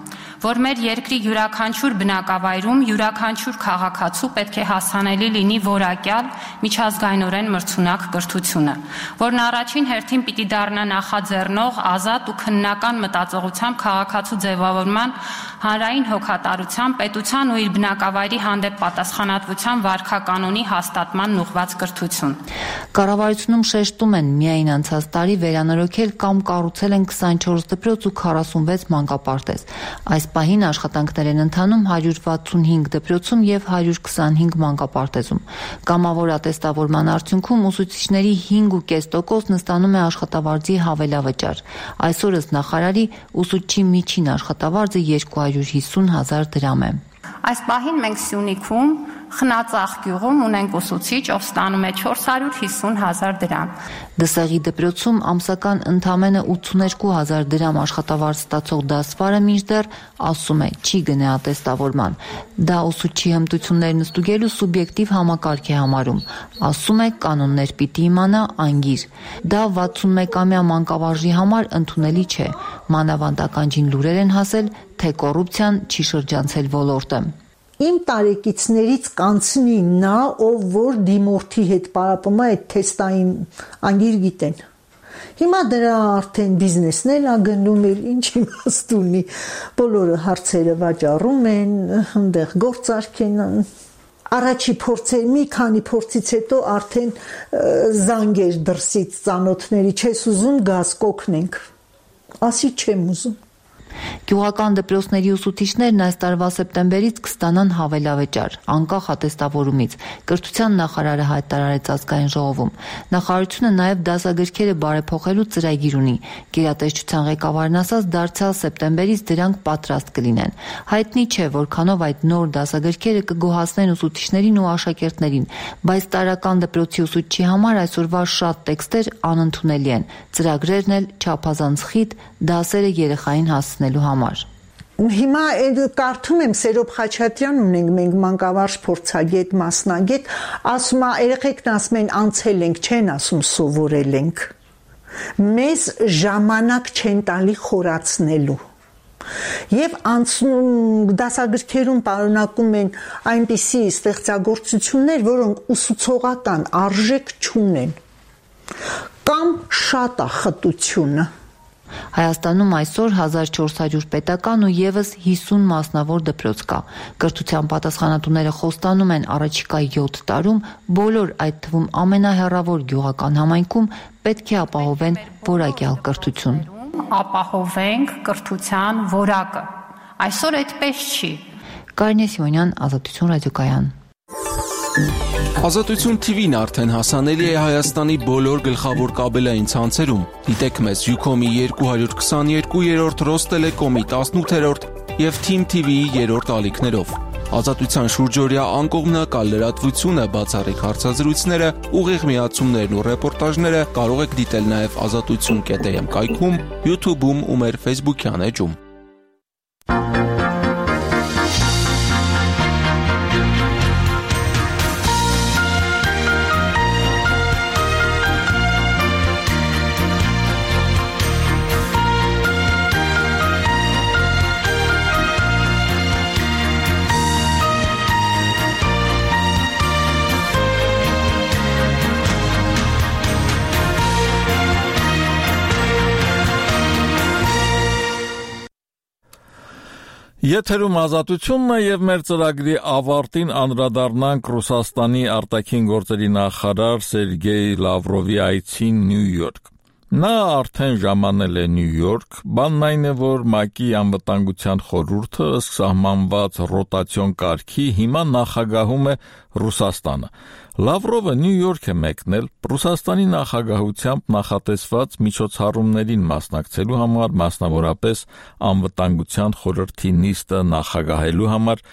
Speaker 16: որ մեր երկրի յուրաքանչյուր բնակավայրում յուրաքանչյուր քաղաքացու պետք է հասանելի լինի որակյալ միջազգայինորեն մրցունակ կրթությունը, որն առաջին հերթին պիտի դառնա նախաձեռնող, ազատ ու քննական մտածողությամբ քաղաքացու ձևավորման, հանրային հոգատարության, պետության ու իր բնակավայրի հանդեպ պատասխանատվության վարքականոնի հաստատման ուղղված կրթություն։
Speaker 15: Կառավարությունում շեշտում են միայն անցած տարի վերանորոգել կամ կառուցել են քսանչորս դպրոց ու քառասունվեց մանկապարտեզ։ Այս պահին աշխատանքներ են ընթանում հարյուր վաթսունհինգ դպրոցում եւ հարյուր քսանհինգ մանկապարտեզում։ Կամավոր ատեստավորման արդյունքում ուսուցիչների հինգ ու կես տոկոսն ստանում է աշխատավարձի հավելավճար։ Այսօրս նախարարի ուսուցչի միջին աշխատավարձը երկու հարյուր հիսուն հազար դրամ է։
Speaker 16: Այս պահին մենք Սյունիքում Խնածախ գյուղում ունենք ուսուցիչ, ով ստանում է չորս հարյուր հիսուն հազար դրամ։
Speaker 15: Դսեղի դպրոցում ամսական ընդամենը ութսուներկու հազար դրամ աշխատավարձ ստացող դասվարը մինչդեռ ասում է չի գնե ատեստավորման։ Դա ուսուցչի հմտություններն ստուգելու սուբյեկտիվ համակարգ է համարում, ասում է կանոններ պիտի իմանա անգիր։ Դա վաթսունմեկամյա մանկավարժի համար ընդունելի չէ։ Մանավանդ ականջին լուրեր են հասել, թե կոռուպցիան չի շրջանցել ոլորտը։
Speaker 12: Իմ տարեկիցներից կանցնի նա, ով որ դիմորդի հետ պարապում է այդ թեստային անգիր գիտեն։ Հիմա դրա արդեն բիզնեսն է գնում, ինչ իմաստ ունի, բոլորը հարցերը վաճառում են, այնտեղ գործարք են։ Առաջի փորձեր, մի քանի փորձից հետո արդեն զանգեր դրսից ծանոթների, չես ուզում գազ կօգնենք։ Ասի չեմ ուզում։
Speaker 15: Գյուղական դպրոցների ուսուցիչներն այս տարվա սեպտեմբերից կստանան հավելավճար, անկախ ատեստավորումից, կրթության նախարարը հայտարարեց ազգային ժողովում։ Նախարարությունը նաև դասագրքերը բարեփոխելու ծրագիր ունի։ Գերատեսչության ղեկավարն ասաց, դարձյալ սեպտեմբերից դրանք պատրաստ կլինեն։ Հայտնի չէ, որքանով այդ նոր դասագրքերը կգոհացնեն ուսուցիչներին ու աշակերտներին, բայց տարրական դպրոցի ուսուցչի համար այսօրվա շատ տեքստեր անընդունելի են, ծրագրերն էլ չափազանց խիտ, դասերը երեխային հասցնելու համար։
Speaker 12: Հիմա կարդում եմ Սերոբ Խաչատրյան ունենք մենք մանկավարժ փորձագետ, մասնագետ, ասում է երեխեքն ասում են անցել ենք, չեն ասում սովորել ենք։ Մեզ ժամանակ չեն տալի խորացնելու։ Եվ դասագրքերում պարունակում են այնպիսի ստեղծագործություններ, որոնք ուսուցողական արժեք չունեն։ Կամ շատ է խտությունը։
Speaker 15: Հայաստանում այսօր հազար չորս հարյուր պետական ու ևս հիսուն մասնավոր դպրոց կա։ Կրթության պատասխանատուները խոստանում են առաջիկա յոթ տարում բոլոր, այդ թվում ամենահեռավոր գյուղական համայնքում պետք է ապահովեն որակյալ կրթություն։
Speaker 16: Ապահովենք կրթության որակը։ Այսօր այդպես չի։
Speaker 15: Կարինե Սիմոնյան, Ազատություն ռադիոկայան։
Speaker 2: Ազատություն թի վին արդեն հասանելի է Հայաստանի բոլոր գլխավոր կաբելային ցանցերում։ Դիտեք մեզ Յուքոմի երկու հարյուր քսաներկու, Ռոստելեկոմի տասնութերորդ և Թիմ թի վիի երրորդ ալիքներով։ Ազատության շուրջօրյա անկողմնակալ լրատվությունը, բացառիկ հարցազրույցները, ուղիղ միացումներն ու ռեպորտաժները կարող եք դիտել նաև ազատություն կետ էմ կայքում, յութուբում ու մեր ֆեյսբուքյան էջում։
Speaker 1: Եթերում ազատությունն է և մեր ծրագրի ավարտին անդրադառնանք Ռուսաստանի արտաքին գործերի նախարար Սերգեյ Լավրովի այցին Նյու Յորք։ Նա արդեն ժամանել է Նյու Յորք, բանն այն է, որ ՄԱԿ-ի անվտանգության խորհուրդը ըստ սահմանված ռոտացիոն կարգի հիմա նախագահում է Ռուսաստանը։ Լավրովը Նյու Յորք է մեկնել Ռուսաստանի նախագահությամբ նախատեսված միջոցառումներին մասնակցելու համար, մասնավորապես անվտանգության խորհրդի նիստը նախագահելու համար,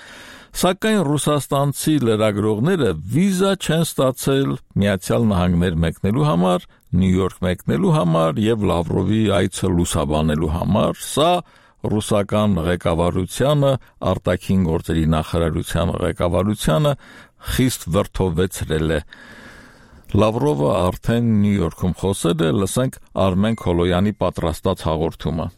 Speaker 1: սակայն ռուսաստանցի լրագրողները վիզա չեն ստացել Միացյալ Նահանգներ մեկնելու համար, Նյու Յորք մեկնելու համար և Լավրովի այցը լուսաբանելու համար։ Սա ռուսական ղեկավարությանը, արտաքին գործերի նախարարության ղեկավարությանը խիստ վրդովվեցրել է։ Լավրովը արդեն Նյու Յորքում խոսել է, լսենք Արմեն Քոլոյանի պատրաստած հաղորդումը։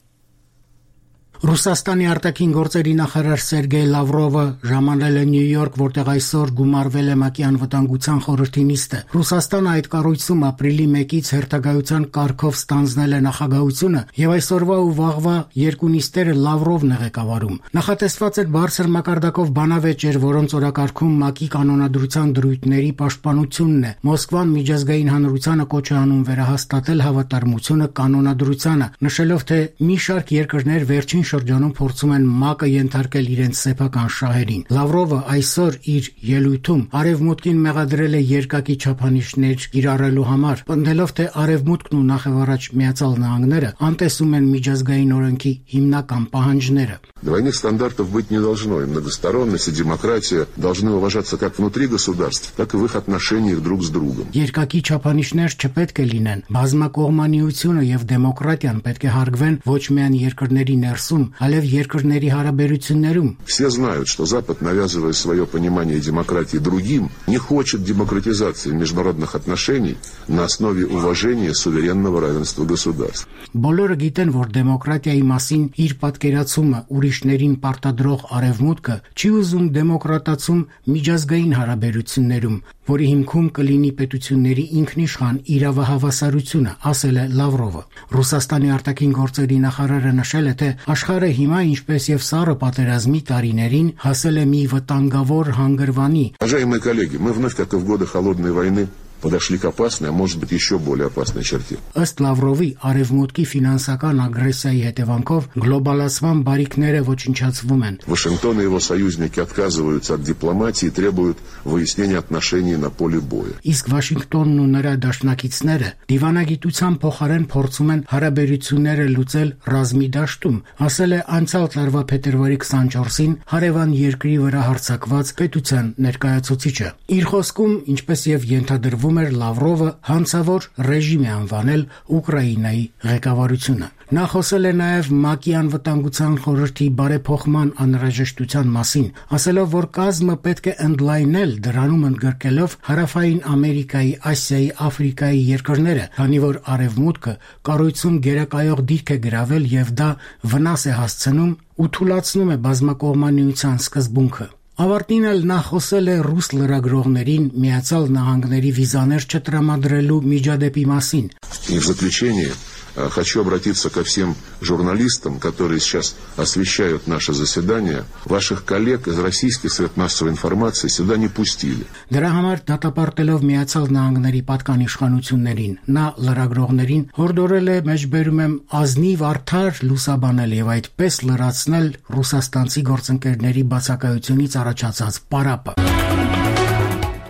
Speaker 5: Ռուսաստանի արտաքին գործերի նախարար Սերգեյ Լավրովը ժամանել է Նյու Յորք, որտեղ այսօր գումարվել է ՄԱԿ-ի անվտանգության խորհրդի նիստը։ Ռուսաստանը այդ կառույցում ապրիլի մեկից հերթագայության կարգով ստանձնել է նախագահությունը և այսօրվա ու վաղվա երկու նիստերը Լավրովն է ղեկավարում։ Նախատեսված էր բարձր մակարդակով բանավեճեր, որոնց օրակարգում ՄԱԿ-ի կանոնադրության դրույթների պաշտպանությունն է։ Մոսկվան միջազգային հանրությանը կոչ է անում վերահաստատել հավատարմությունը կանոնադրությանը, նշելով, թե մի շարք երկրներ վերջին շրջանում փորձում են ՄԱԿ-ը ենթարկել իրենց սեփական շահերին։ Լավրովը այսօր իր ելույթում Արևմուտքին մեղադրել է երկակի չափանիշներ կիրառելու համար, պնդելով, թե Արևմուտքն ու նախևառաջ Միացյալ Նահանգները անտեսում են միջազգային օրենքի հիմնական պահանջները։
Speaker 17: Двойных стандартов быть не должно, и многосторонность, и демократия должны уважаться как внутри государств, так и в их отношениях друг с другом.
Speaker 5: Երկակի չափանիշներ չպետք է լինեն, բազմակողմանիությունը եւ դեմոկրատիան պետք է հարգվեն ոչ միայն երկրների ներսում, այլև երկրների հարաբերություններում։
Speaker 17: Все знают, что Запад, навязывая свое понимание демократии другим, не хочет демократизации международных отношений на основе уважения суверенного равенства государств.
Speaker 5: Բոլորը գիտեն, որ դեմոկրատիայի մասին իր պատկերացումը ուրիշներին պարտադրող Արևմուտքը չի ուզում դեմոկրատացում միջազգային հարաբերություններում, որի հիմքում կլինի պետությունների ինքնիշխան իրավահավասարությունը, ասել է Լավրովը։ Ռուսաստանի արտաքին գործերի նախարարը նշել է, թե աշխարհը հիմա, ինչպես եւ սառը պատերազմի տարիներին, հասել է մի վտանգավոր հանգրվանի։
Speaker 17: Уважаемые коллеги, мы вновь, как и в годы холодной войны, подошли к опасной, а может быть еще более опасной черте.
Speaker 5: Ըստ Լավրովի, Արևմուտքի ֆինանսական ագրեսիայի հետևանքով գլոբալացման բարիքները ոչնչացվում են։
Speaker 17: Вашингтон и его союзники отказываются от дипломатии и требуют выяснения отношений на поле боя.
Speaker 5: Իսկ Վաշինգտոնն ու նրա դաշնակիցները դիվանագիտության փոխարեն փորձում են հարաբերությունները լուծել ռազմի դաշտում, ասել է անցյալ տարվա փետրվարի քսանչորսին հարևան երկրի վրա հարձակված պետության ներկայացուցիչը։ Իր խոսքում, ինչպես եւ ենթադրվում էր, Լավրովը հանցավոր ռեժիմ է անվանել Ուկրաինայի ղեկավարությունը։ Նա խոսել է նաև ՄԱԿ-ի անվտանգության խորհրդի բարեփոխման անհրաժեշտության մասին, ասելով, որ կազմը պետք է ընդլայնել, դրանում ընդգրկելով Հարավային Ամերիկայի, Ասիայի, Աֆրիկայի երկրները, քանի որ Արևմուտքը կառույցում գերակայող դիրք է գրավել եւ դա վնաս է հասցնում ու թուլացնում է բազմակողմանիության սկզբունքը։ Ավարտին էլ նա խոսել է ռուս լրագրողներին Միացյալ Նահանգների վիզաներ չտրամադրելու միջադեպի մասին։
Speaker 17: И в заключение Хочу обратиться ко всем журналистам, которые сейчас освещают наше заседание. Ваших коллег из российских средств массовой информации сюда не пустили.
Speaker 5: Դրա համար դատապարտելով Միացյալ Նահանգների պատկանիշխանություններին, նա լրագրողներին հորդորել է մեջբերում եմ ազնիվ արդար լուսաբանել եւ այդպես լրացնել ռուսաստանցի գործընկերների բացակայությունից առաջացած պարապը։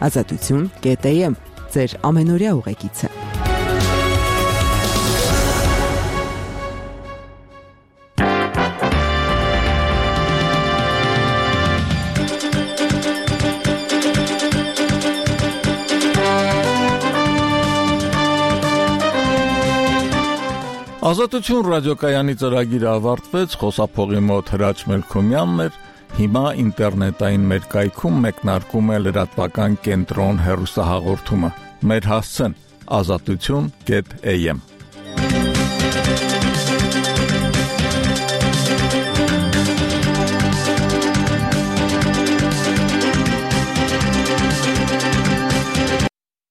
Speaker 18: Ազատություն կետ է եմ, ձեր ամենօրյա ուղեկիցը։
Speaker 1: Ազատություն ռադիոկայանի ծրագիրը ավարտվեց, խոսափողի մոտ Հրաչ Մելքոմյանն էր, հիմա ինտերնետային մեր կայքում մեկնարկում է լրատվական կենտրոն հեռուստահաղորդումը։ Մեր հասցեն ազատություն կետ է եմ։